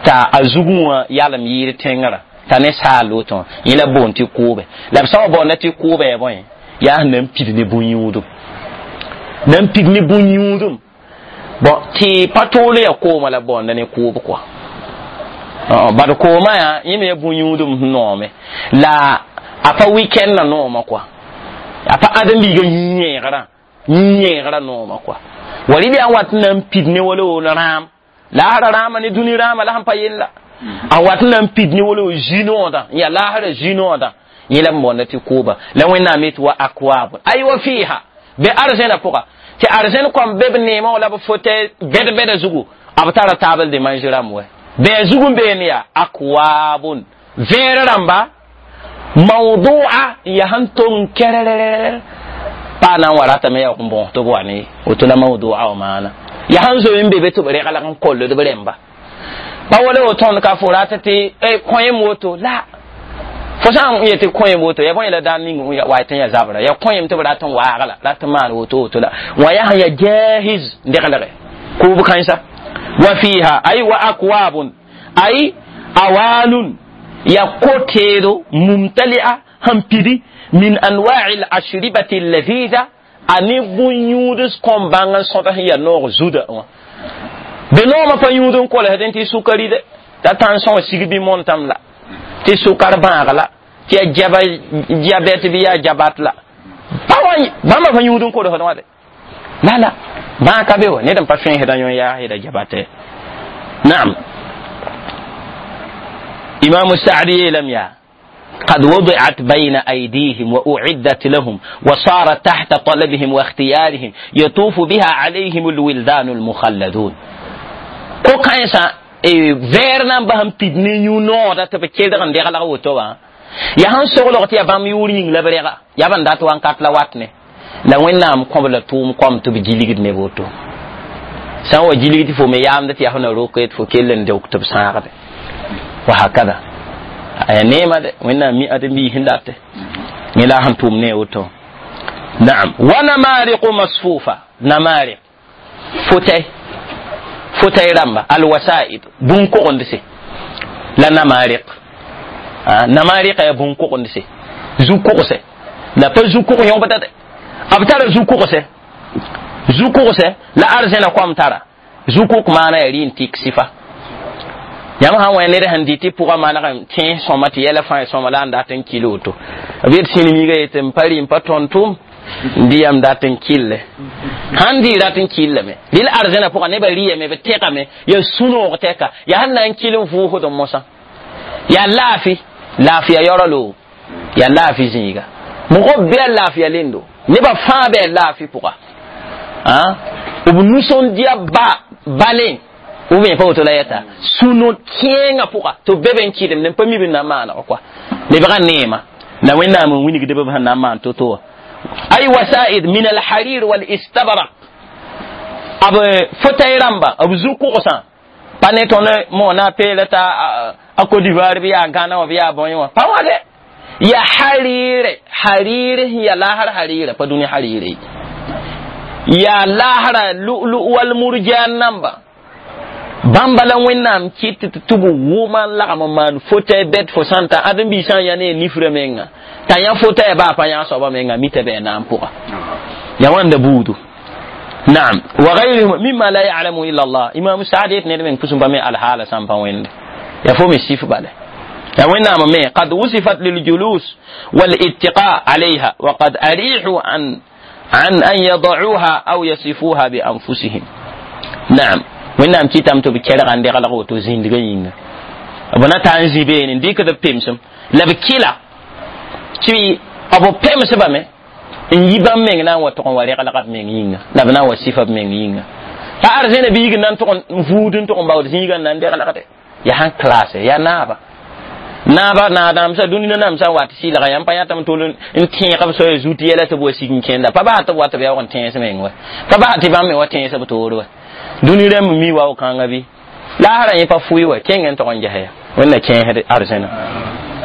t'a a zugẽ wã yalem yɩɩr tẽngrã t'a ne saal woto wã yẽ la boond tɩ kʋʋbɛ la b sã wa baoonda tɩ kʋʋbɛ ya bõe yaa sẽn na n pid ne bũn-yũudum na n pid ne bũn-yũudum bon tɩ pa tool ya kooma la baoonda ne kʋʋb kɔa bad kooma yaa yẽ me ya bũn-yũudum sẽn noome la a pa wikɛndã nooma kɔa a pa ãdem-biigã yĩn-yẽegrã yĩn-yẽegrã nooma kɔa wa rɩl yaa n wat n na n pid ne wala woon rãam laasra rãama ne dũni rãama la sẽn pa yella a wat n na n pid ne wala wo zĩ-noodã n yaa laasra zĩ-noodã yẽ la b boonda tɩ kʋʋba la wẽnnaam yetɩ wa akwab ay wa fiiha be arzẽna pʋga tɩ arzẽn kõm be b neemã wã la b fotɛ bɛd-bɛda zugu b tara taabl de mange rãmb wɛ bɩ a zug n beene yaa akwabun vẽer rãmba mawdua n yaa sẽn tong kɛrɛrɛrɛ paa na n wa ratame yaa n bõos tɩ b wa ne woto la mawdua wã maana yaa sẽn zoe n be be tɩ b reglg n koll d b rẽmba pa wala wo tõnd ka fo rata tɩ kõem woto la fo sã n yetɩ kõem woto ya bõe la daan ning wa tɩ n yaa zabra ya kõem tɩ b rat n waagla rat n maan woto woto la wã yaa sẽn yaa jahiz deglge kʋʋb kãensa wa fiha ay wa akwabun ay awalun ya koteedo mumtali'a sẽn pidi min anwa'i al-ashribati alladhidha a ne bũn-yũuds kõm bãng n sõd sẽn yaa noog zuda wã be noomã pa yũud n kolsdẽ tɩ sukari de t'a tãnsõ wã sig bɩ montame la tɩ sukar bãag la tɩ yaa jaba diabɛt bɩ yaa jabat la bãmba pa yũud n kolsd wã de la la bãag ka be wa ned n pa fẽesdã yõ yaasda jabate naam imam saadi yeelame yaa قد وضعت بين أيديهم وأعدت لهم وصارت تحت طلبهم واختيارهم يطوف بها عليهم الولدان المخلدون ko kãensã vɛɛr na n bas n pid ne yũ noodã tɩ b kelg n deglg woto wã yaa sẽn soglg tɩ yaa bãmb yʋʋr yĩng la b rega yaa ban dat wãnkat la wat ne la wẽnnaam kõb la tʋʋm kom tɩ b gilgd ne woto sã n wa gilgd tɩ fo me yaamd tɩ yaa fo na roke tɩ fo kell n deok tɩ b sãagde wa hakada aya neema de wẽnnaam mi ãdem-biis sẽn date yẽ la sẽn tʋʋm ne woto naam wa namariqu masfufa namariq fotay fotay rãmba alwasaid bũn-kogendse la namariq namariqa yaa bũn-kogendse zu-kogse la pa zu-kog yõbda de b tara zu-kogse zu-kogse la arzẽna koam tara zu-kog maana yaa rɩ n tɩk sɩfa yãmb sã n wẽ ned sẽn dɩ tɩ pʋgã maneg tẽes sõma tɩ yɛla fãa sõma la n dat n kil woto b yet sĩnimiigã yetɩ n pa rɩ n pa tõnd tʋm n dɩ yam dat n kille sãn dɩ rat n killame rɩl arzẽna pʋgã nebã rɩyame b tɛgame yaa sũ-noog tɛka yaa sẽn na n kil n vʋʋsd mosã yaa laafɩ laafɩya yaooralo yaa laafɩ zĩiga mʋgb bɩ a laafɩya lendo nebã fãa bɩ a laafɩ pʋga b nusõn-dia ba balẽ ou bien pa woto la yɛta sũ-no kẽengã pʋga tɩ b be be n kɩdem ne pa mi b na n maaneg kɔa lebga neema la wẽnnaam n wilgd b sẽn na n maan to-to wã ay wasaid min alharir walistabrak b fotay rãmba b zu-kogsã pa ne tõnd mo na peela t'a a Côte d'Ivoire bɩ yaa Ghana wã bɩ yaa bõe wã pa wã de yaa harire harire sẽn yaa laasr harira pa dũni harire yaa laasra lu'lu wal murjan namba bãmba la wẽnnaam kɩt tɩ tɩ b wʋma n lagm n maan fotay bɛd fo sã n ta ãdem-biisã n yaa ne nifrã menga t'a yã fotaya baa pa yã soaba menga mita bɩ a naam pʋga ya wãnda buudu naam wa gayrihim mimma la ya'lamu illa Allah imam saad yet ned meng pʋsẽ pa me alhaala sã n pa wẽnde ya fo me sif bale ya wẽnnaam me qad wusifat liljulus والاتقاء عليها وقد أريحوا عن عن أن يضعوها أو يصفوها بأنفسهم نعم wẽnnaam kɩtame tɩ b kɛrga n deglg woto zĩndgã yĩnga b na taa n zĩ beene n dɩkd b pemsem la b kɩla tɩ b pemsbame n yi bãmb meng na n wa tʋg n wa reglga b meng yĩnga la b na n wa sɩfa b meng yĩnga pa arzẽna biig n na n tʋg n vuud n tʋg n baood zĩigã n na n deglgde yaa sãn klaase yaa naaba naaba naadaamsa dũni nanamsã n wa tɩ sɩlga yãmb pa yãtame tol n tẽeg b soaya zut yɛla tɩ b wa sig n kẽnda pa baa tɩ b wa tɩ b yaoog n tẽes meng wa pa baa tɩ bãmb me wa tẽes b toor wa dũni rãmb mi wao kãngã bɩ laasrã yẽ pa fʋɩ wa kẽng n tog n ges ya wẽnna kẽesd arzẽna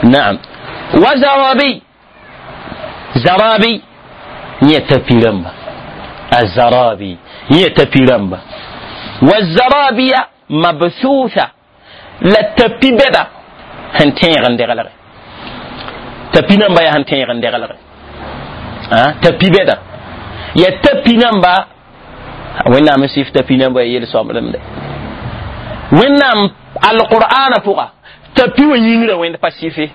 naam wa zarabi zarabi yẽ tapi rãmba azarabi yẽ tapi rãmba wa zarabiya mabthutha la tapi bɛda sẽn tẽeg n deglge tapi namba yaa sẽn tẽeg n deglge tapi bɛda ya tapi namba wẽnnaam n sɩf tapi namba ya yel-sõmblem de wẽnnaam alqur'ana pʋga tapi wã yĩngrã wẽnd pa sɩfe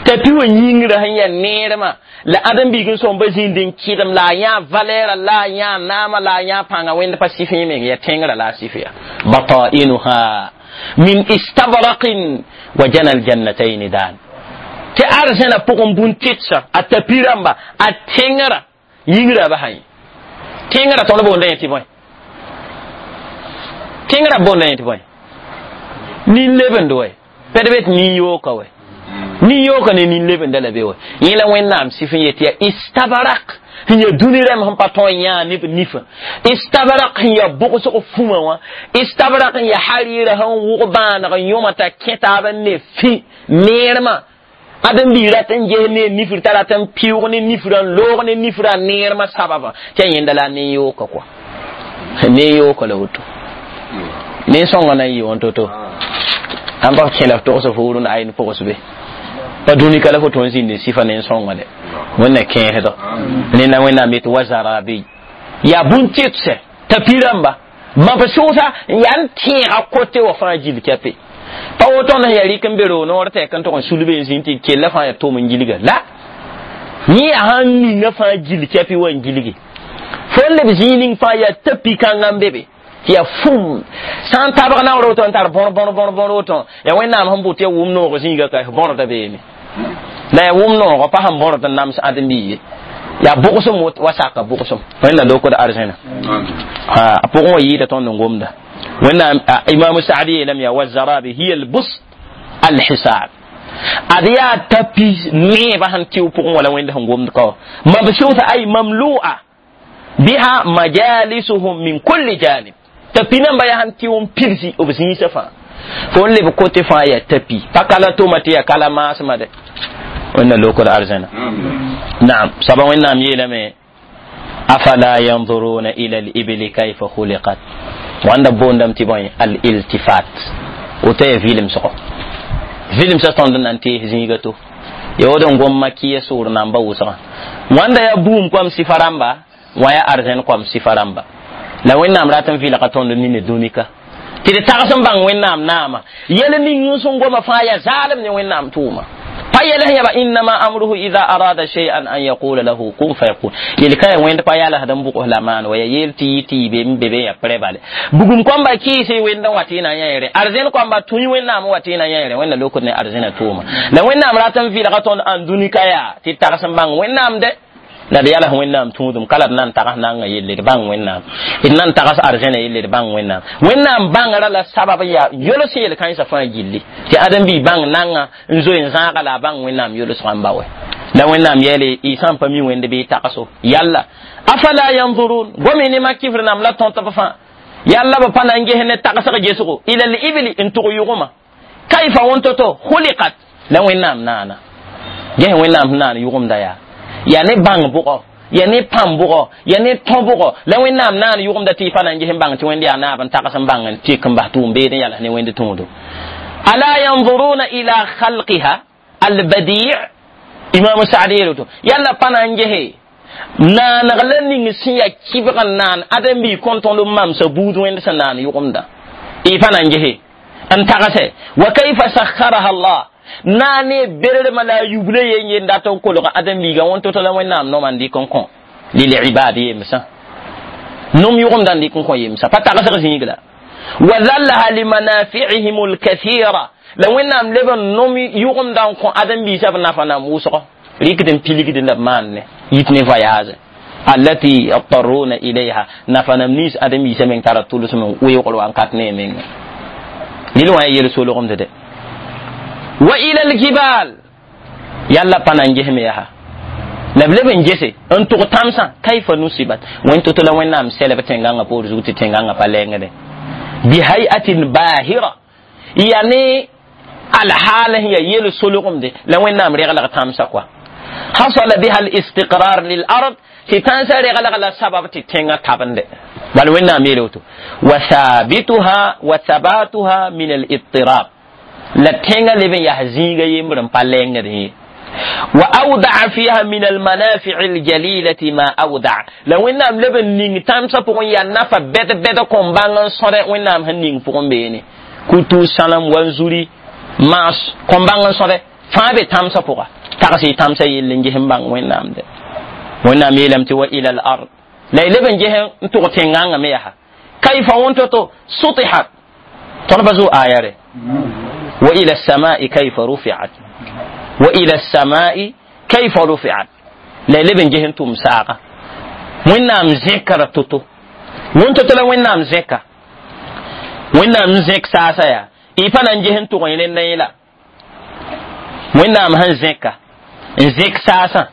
tapi wã yĩngrã sẽn yaa neermã la ãdem-biig n sõmba zĩnd n kɩdem la a yã valɛɛra la a yã naama la a yã pãnga wẽnd pa sɩf yẽ meng yaa tẽngrã la a sɩf ya batainuha min istabraqin wa jana aljannatayn dan tɩ arzẽna pʋgẽ bũn-tɩtsã a tapi rãmba a tẽngrã yĩngrã ba sã tẽngrã tõnd boonda yẽ tɩ bõe tẽngrã boonda yẽ tɩ bõe nin-lebend wɛ pɛd be tɩ nin-yooka wɛ nin-yooka ne nin-lebenda la be wɛ yẽ la wẽnnaam sɩf n yet yaa istabrak sẽn yaa dũni rãmb sẽn pa tõe n yãa neb nifã istabrak sẽn yaa bʋgsg fũma wã istabrak n yaa harɩɩrã sẽn wʋg bãaneg n yõma t'a kẽ taab n ne fĩ neermã ãdem-biig rat n ges ne nifr t'a rat n pɩʋg ne nifrã n loog ne nifrã neermã sababã tɩ a yẽnda la a nen-yooka kɔa nen-yooka la woto nen-sõngã na n yɩ wã to-to ãn pa kẽ la f togs fuur n ayn pʋgs be Pa dũni ka la fo tõnd zĩnd n sɩfa ne n sõnga de wẽnna kẽesdɔ nenda wẽnnaam yetɩ wa zarabi yaa bũn-tɩtsɛ tapi rãmba mab sʋʋsa n yaa n tẽega kote wã fãa gill kɛpe pa woto tõnd sẽn yaa rɩk n be roo noor tɛk n tʋg n sulbe n zĩnd tɩ kella fãa yaa tom n gilga la yẽ yaa sãn ninga fãa gill kɛpɩ wa n gilge fo n leb zĩig ning fãa yaa tapi kãngã n be be tɩ yaa fum sã n tabg naoor woto n tar bõr bõr bõr bõr woto yaa wẽnnaam sẽn bʋt yaa wʋm noog zĩiga ka bõrda beeme la yaa wʋm noogã pa sẽn bõrd n nams ãdem-biig ye yaa bʋgsem wa saka bʋgsem wẽnna lokd arzẽna a pʋgẽ wã yɩɩda tõnd n gomda wẽnnaam imam saadi yeelame yaa wazarabi hiya albust alhisab ad yaa tapi neebã sẽn tɩ pʋgẽ wala wẽnd sẽn gomd ka wã mabsuuta ay mamlu'a biha majalisuhum min kulli janib tapi namba yaa sẽn tɩ n pidsi b zĩisã fãa fo n leb kote fãa yaa tapi pa kala tʋma tɩ yaa kala maasmã de wẽnna lokd arzẽna naam soaba wẽnnaam yeelame afala yanzuruna ila alibili kayfa khuliqat wãnda boondame tɩ bõe aliltifat woto yaa vɩlemsgo vɩlemsã tõnd n na n tees zĩiga to ya woto n gom makiya sʋʋr namba wʋsgã wãnda yaa buum koam sɩfa rãmba wã yaa arzẽn koam sɩfa rãmba la wẽnnaam rat n vɩlga tõnd nine dũnika tɩ d tags n bãng wẽnnaam naama yɛl ning n sẽn goma fãa yaa zaalem ne wẽnnaam tʋʋma pa yɛl sẽn yaba innama amruhu ida arada shay'an an yaqula lahu kun fayakun yel ka ya wẽnd pa yalsd n bʋgs la maan wa ya yeel tɩ yɩ tɩ yɩ be n be be ya prɛ bale bugum kõmba kɩɩse wẽnd n wa tɩ y na n yã yɛrɛ arzẽn kõmba tũi wẽnnaam wa tɩ y na n yã yɛrɛ wẽnna lokd ne arzẽna tʋʋma la wẽnnaam rat n vɩlga tõnd ãn dũnika yaa tɩ tags n bãng wẽnnaam de la d yals wẽnnaam tũudum ka la d na n tags nanga yelle d bãng wẽnnaam d na n tags arzẽna yelle d bãng wẽnnaam wẽnnaam bãngrã la sabab yaa yols yel kãensã fãa gilli tɩ ãdem-biig bãng nanga n zoe n zãaga la a bãng wẽnnaam yolsgã n ba wɛ la wẽnnaam yeele y sã n pa mi wẽnd bɩ y tagso yalla afala yanzurun gome ne makifr nam la tõt b fãa yalla b pa na n ges ne tagsg gesgo ila l ibli n tʋg yʋgmã kayfa wẽn-to-to khuliqat la wẽnnaam naana ges wẽnnaam sẽn naan yʋgemda yaa yaa ne bãng bʋgɔ yaa ne pãm bʋgɔ yaa ne tõ bʋgɔ la wẽnnaam naan yʋgemda tɩ y pa na n ges n bãng tɩ wẽnd yaa naab n tags n bãng n tɩk n bas tʋʋm-beed n yals ne wẽnd tũudo ala yanzuruna ila khalqiha albadi' imam saadi yeelo to yalla pa na n gese naaneg la ning sẽn yaa kɩbg n naan ãdem-biig kõn tõnd n mamsa buud wẽnd sẽn naan yʋgemda y pa na n gese n tagse wa kayfa sakharaha allah naane berermã la a yubla yen yen dat n kolg ãdem-biigã wẽn to-to la wẽnnaam noma n dɩk n kõ lilibad yemsã nom yʋgemdã n dɩk n kõ yemsã pa tagsg zĩig la wa dhallaha limanafi'ihim alkathira la wẽnnaam leb n nom yʋgemdã n kõ ãdem-biisã b nafa nam wʋsgo rɩkd n pilgd la b maan ne yit ne voyage allati yadtaruna ilayha nafa nam nins ãdem-biisã meng tara tʋlsem n weoogr wa n kat ne menga rɩl wã yaa yel-solgemd de wa ila aljibal yalla pa na n gesme yaa la b leb n gese n tʋg tãmsã kayfa nusibat wẽn to-to la wẽnnaam sɛlb tẽngãngã poor zug tɩ tẽngãngã pa lengde bihayatin bahira yaa ne alhaal sẽn yaa yel solgemde la wẽnnaam reglg tãmsã kɔa hasala biha alistiqrar lilard tɩ tãnsã reglg la sabab tɩ tẽngã tabende bal wẽnnaam yeele woto wa thabituha wa thabatuha min alidtirab la tẽngã leb n yaa zĩiga yembr n pa lengd ye wa awdaa fiha min almanafici aljalilati ma awdaa la wẽnnaam leb n ning tãmsã pʋgẽ yaa nafa bɛd bɛd kõn bãng n sõde wẽnnaam sẽn ning pʋgẽ beene kutu sãnem wanzuri maas kõn bãng n sõde fãa be tãmsã pʋga tags y tãmsã yell n ges n bãng wẽnnaam de wẽnnaam yeelame tɩ wa ila al ard la y leb n ges n tʋg tẽngãngã me yaa kayfa wẽn-to-to sutihat tõnd pa zʋ aya re وإلى السماء كيف رفعت وإلى السماء كيف رفعت لا لبن جهن توم ساقة وين نام ذكر توتو وين توتو وين نام ذكر وين نام ذك ساسا يا إيفان جهن تو وين نيلا وين نام هن ذكر ذك ساسا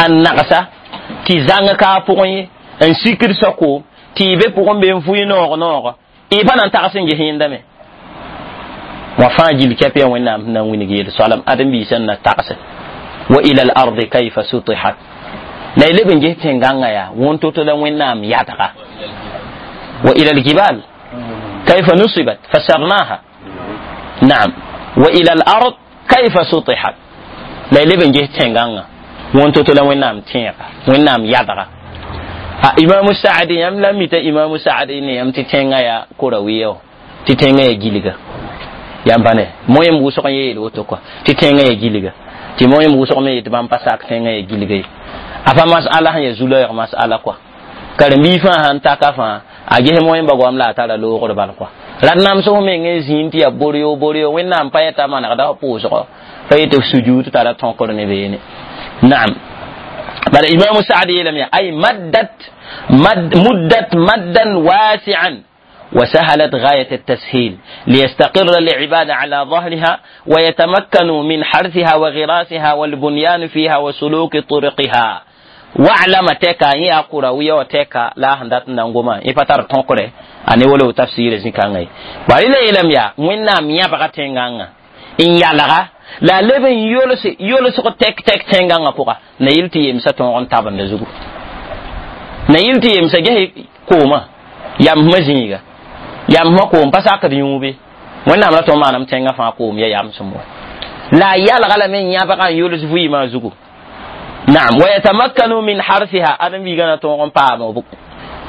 النقصة تي زانغ كابوين ان سكر سكو تي بي بوغن بين فوي نور نور إيفان أن تغسن جهن دمه wã fãa gill kɛp yaa wẽnnaam sẽn na n wilg yel soalem ãdem-biisã n na tagse wa ila al ardi kayfa sutihat la y leb n ges tẽn-gãngã yaa wõn-to-to la wẽnnaam yadga wa ila aljibal kayfa nusibat fasarnaha naam wa ila al ard kayfa sutihat La y leb n ges tẽngãngã wõn to-to la Wẽnnaam tẽega Wẽnnaam yadga a Imamu Saadi yãmb la mita Imamu Saadi ne yãmb tɩ tẽngã yaa korawiya tɩ tẽngã yaa gilga yãmb pa ne moẽm wʋsg n yeel woto kɔa tɩ tẽngã yaa gilga tɩ moẽm wʋsg me yetɩ bãmb pa sak tẽngã yaa gilga ye a pa masala sẽn yaa zu-laoog masala kɔa karen-biig fãa sãn taka fãa a ges moẽmba goam la a tara loogr bal kɔa rat namsg meng n zĩnd tɩ yaa boryo boryo Wẽnnaam pa yɛta manegda f pʋʋsgɔ pa yetɩ f sujud tara tõkr ne beene naam bala Imamu Saadi yeelame yaa ay maddat mad muddat maddan wasi'an وسهلت غاية التسهيل ليستقر العباد على ظهرها ويتمكنوا من حرثها وغراسها والبنيان فيها وسلوك طرقها واعلم تكا يا قروية وتكا لا هندات نانغوما يفتر تنقره أني ولو تفسير زكاني باري لا يلم يا وين ميا بغا إن يلغا لا لبن يولس يولس تك تك تنغانا بوغا نيلتي يمسا تون تابن زغو نيلتي يمسا جه كوما يام مزيغا yam ma koom pa sakd yũube Wẽnnaam la tõnd maanam tẽngã fãa koom ya yamsem wa la a yalga lame n yãbga n yols vɩɩmã zugu naam wa yatamakkanu min harsiha ãdem-biigã na tõog n paam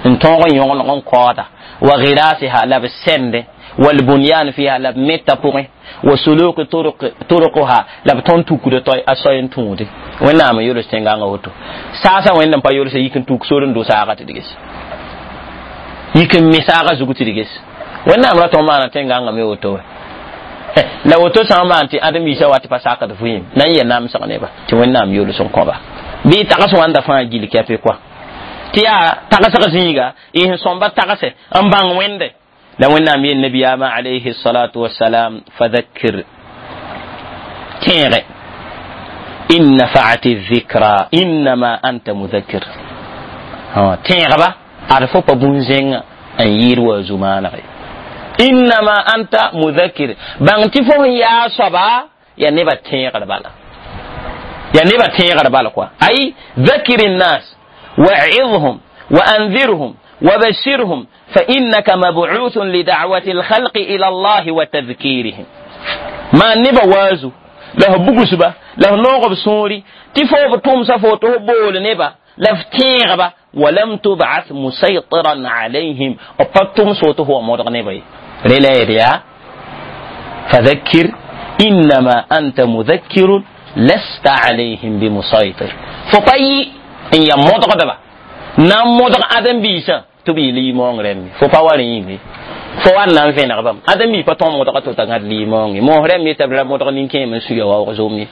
n tõog n yõgeneg n kaooda wa girasiha la b sɛnde والبنيان فيها la b meta pʋgẽ wa suluki turuquha la b tõnd tukda toy a soy n tũude Wẽnnaam n yols tẽngãngã woto saasã Wẽnd n pa yolsa yik n tuk sor n do saaga tɩ d ges yik n me saaga zug tɩ d ges Wẽnnaam ra tõnd maana tẽngãngã me woto wɛ la woto sã n maan tɩ ãdem-biisã wa tɩ pa sakd vɩɩm na n yɛ namsg neba tɩ Wẽnnaam yols n kõba bɩ tags wãnda fãa gil kɛpɩ kɔa tɩ yaa tagsg zĩiga y sẽn sõmba tagse n bãng Wẽnde la Wẽnnaam yel nabiyaamã alayhi salatu wasalam fadhakkir tẽege in nafa'ati dhikra innama anta mudhakkir tẽegba ad fo pa bũn-zẽngã n yɩɩd wa zu-maanege innama anta mudhakkir bãng tɩ fo sẽn yaa soaba ya nebã tẽegr bala ya nebã tẽegr bala kɔa ay dhakir nnas wa'idhum wa anzirhum وبشرهم فإنك مبعوث لدعوة الخلق إلى الله وتذكيرهم ما نبا وازو له بغسبا له نوغب سوري تفوب تومسا فوتو بول نبا لفتيغبا ولم تبعث مسيطرا عليهم أبطم صوته هو مودغ نبا رلا فذكر إنما أنت مذكر لست عليهم بمسيطر فطي إن يمودغ دبا nan modg ãdem-biisã tɩ b yɩ liimoong rẽmbe fo pa wa rẽ yĩnge fo wa n na n vẽneg bãmb ãdem-biis pa tõog modga to t'a gãd liimoong ye moos rẽmb yeta b ra modg nin-kẽem n suya waoog zom ye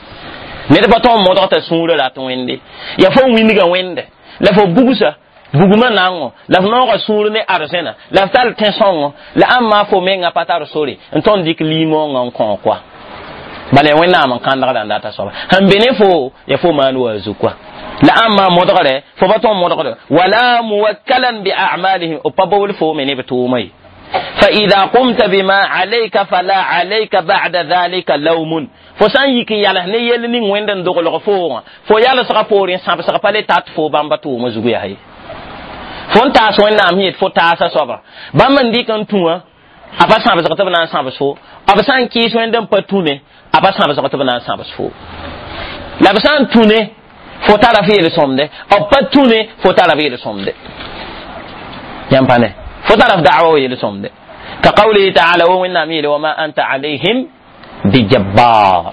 ned pa tõog modg t'a sũurã rat wẽnde ya fo wĩndgã wẽnde la fo bugsa bugmã naango la f noogã sũur ne arzẽna la f tar tẽ-sõngo la ãmb maa fo mengã pa tar sore n tõnd dɩk liimoongã n kõ koa bala ya Wẽnnaam n kãndgda n data soaba sẽn be ne fo ya fo maan wa zu koa la ãmba modgre fo pa tõnd modgre wala muwakkalan bi a'malihim b pa bobl fo me ne b tʋʋma ye فإذا قمت بما عليك فلا عليك بعد ذلك لوم fo sã n yik n yals ne yell ning Wẽnd n doglg foogã fo yalsga poorẽ sãbsg pa le tat fo bãmba tʋʋma zugu yaa ye fo n taas Wẽnnaam sẽn yet fo taasa soaba bãmb n dɩk n tũ wã a pa sãbsg tɩ b na n sãbs fo b sã n kɩɩs Wẽnd n pa tũ ne a pa sãbsg tɩ b na n sãbs fo la b sã n tũ ne fo tara f yel-sõmde b pa tũ ne fo tara f yel-sõmde yãmb pa ne fo tara f da'wa wa yel-sõmde ka qawlihi ta'ala wa Wẽnnaam yeele wama anta alayhim bijabbar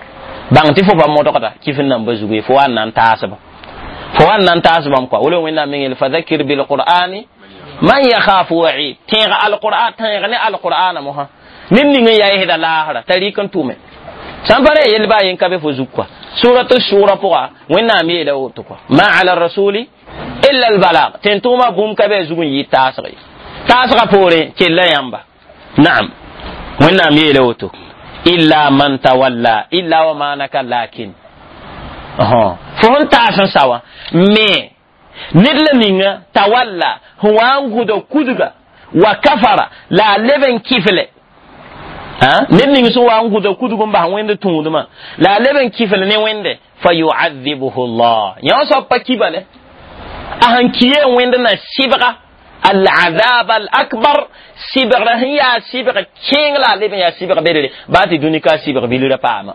bãng tɩ fo pa modgda kɩf n namba zugu ye fo wa n na n taasba fo wa n na n taas bãmb kɔa wala Wẽnnaam meng yeele fadhakkir bilqur'ani man yakhafu wa'id tẽeg alqur'an tẽeg ne alqur'ana mosã ned ning n yaa yesda laasra t'a rɩk n tʋme sãn pa re yell baa yen ka be fo zug kɔa suratu shura pʋga Wẽnnaam yeela woto kɔa ma ala rasuli illa albalag tẽn-tʋʋmã bũmb ka be a zug n yɩ taasg ye taasgã poorẽ kella yãmba naam Wẽnnaam yeela woto illa man tawalla illa wa maanaka lakin fo sẽn taas n sa wã me ned la ninga tawalla sẽn wa n gʋda kudga wa kafara la a leb n kifle ned ning sẽn wa n gʋda kudg n bas Wẽnd tũudmã la a leb n kifl ne Wẽnde fa yuadhibuhu llah yã soab pa ki bale a sẽn ki ye Wẽnd na sɩbga العذاب الأكبر سبغ هي سبغ كين لا لبن يا سبغ بدري باتي دوني كا سبغ بلورا باما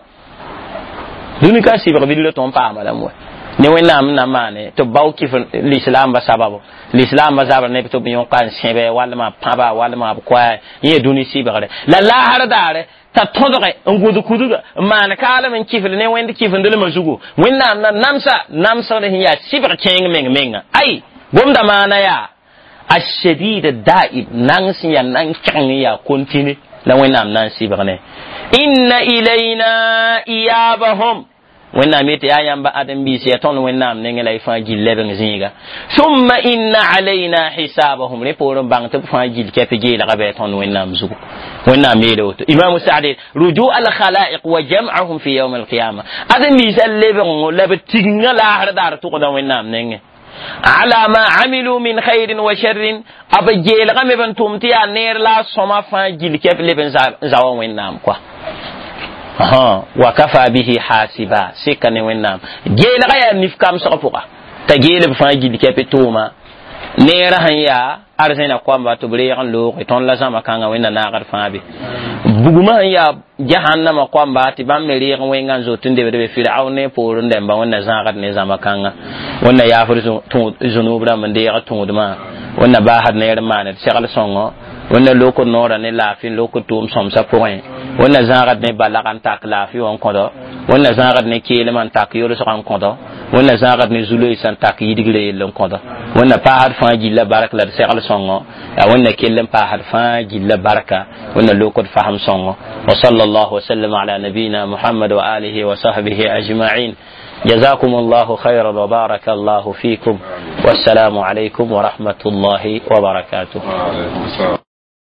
Dũni ka sɩbg bilga tõnd paama lame wa ne wẽnnaam n na maane tɩ b bao kɩf lislaambã sababo lislaambã zabr ne tɩ b yõka n sẽbe walma pãba walma b koa yẽ dũni sɩbgre la laasr daare t'a tõdge n gũd kudga n maan kaalem n kifl ne wẽnd kifendlmã zugu wẽnnaam na namsa namsgd sẽn yaa sɩbg kẽeng meng menga ay gomda maana yaa الشديد الدائم نانس يا نانكن يا كونتيني لا وين نان سيبغني إن إلينا إيابهم وين نام يا يamba adam bi si ton وين نام نينغ لا فا جيل لبن زيغا ثم إن علينا حسابهم ري بور بان تب فا جيل كيف جيل غبي ton وين نام زوغو وين نام يدوت إمام سعد رجوع الخلائق وجمعهم في يوم القيامة adam bi sal لبن لبتيغ لا هردار تقدا وين نام نينغ على ما عملوا من خير وشر أبا جيل غمي بن تومتي نير لا سما فان جيل كيف لبن زاوا وين نام كوا ها وكفى به حاسبا سكن وين نام جيل غيا نيف كام سقفوا تجيل فان جيل كيف توما نير هيا أرزنا قوام باتبري عن لوق تون لازم كان وين ناغر فان بي buguma ya jahannama kwamba ti bãmb me reeg wẽngã n zot n debd be firaun ne poorẽ dẽmba wẽnna zãagd ne zãma kãnga wẽnna yaafr zũnub rãmb n deeg tũudmã wẽnna baasd neer n maand segl sõngo wẽnna lokd noorã ne laafɩ n lokd tʋʋm sõmsã pʋgẽ wẽnna zãagd ne balg n tak laafɩ wã n kõdo wẽnna zãagd ne keelmã n tak yolsgã n kõdo wẽnna zãagd ne zu-loeesã n tak yidgrã yell n kõdo wẽnna paasd fãa gilla bark la d segl sõngo yaa wẽnna kell n paasd fãa gilla barka wẽnna lokd fasem sõngo وصلى الله وسلم على نبينا محمد وآله وصحبه أجمعين جزاكم الله خيرا وبارك الله فيكم والسلام عليكم ورحمة الله وبركاته. وعليكم السلام.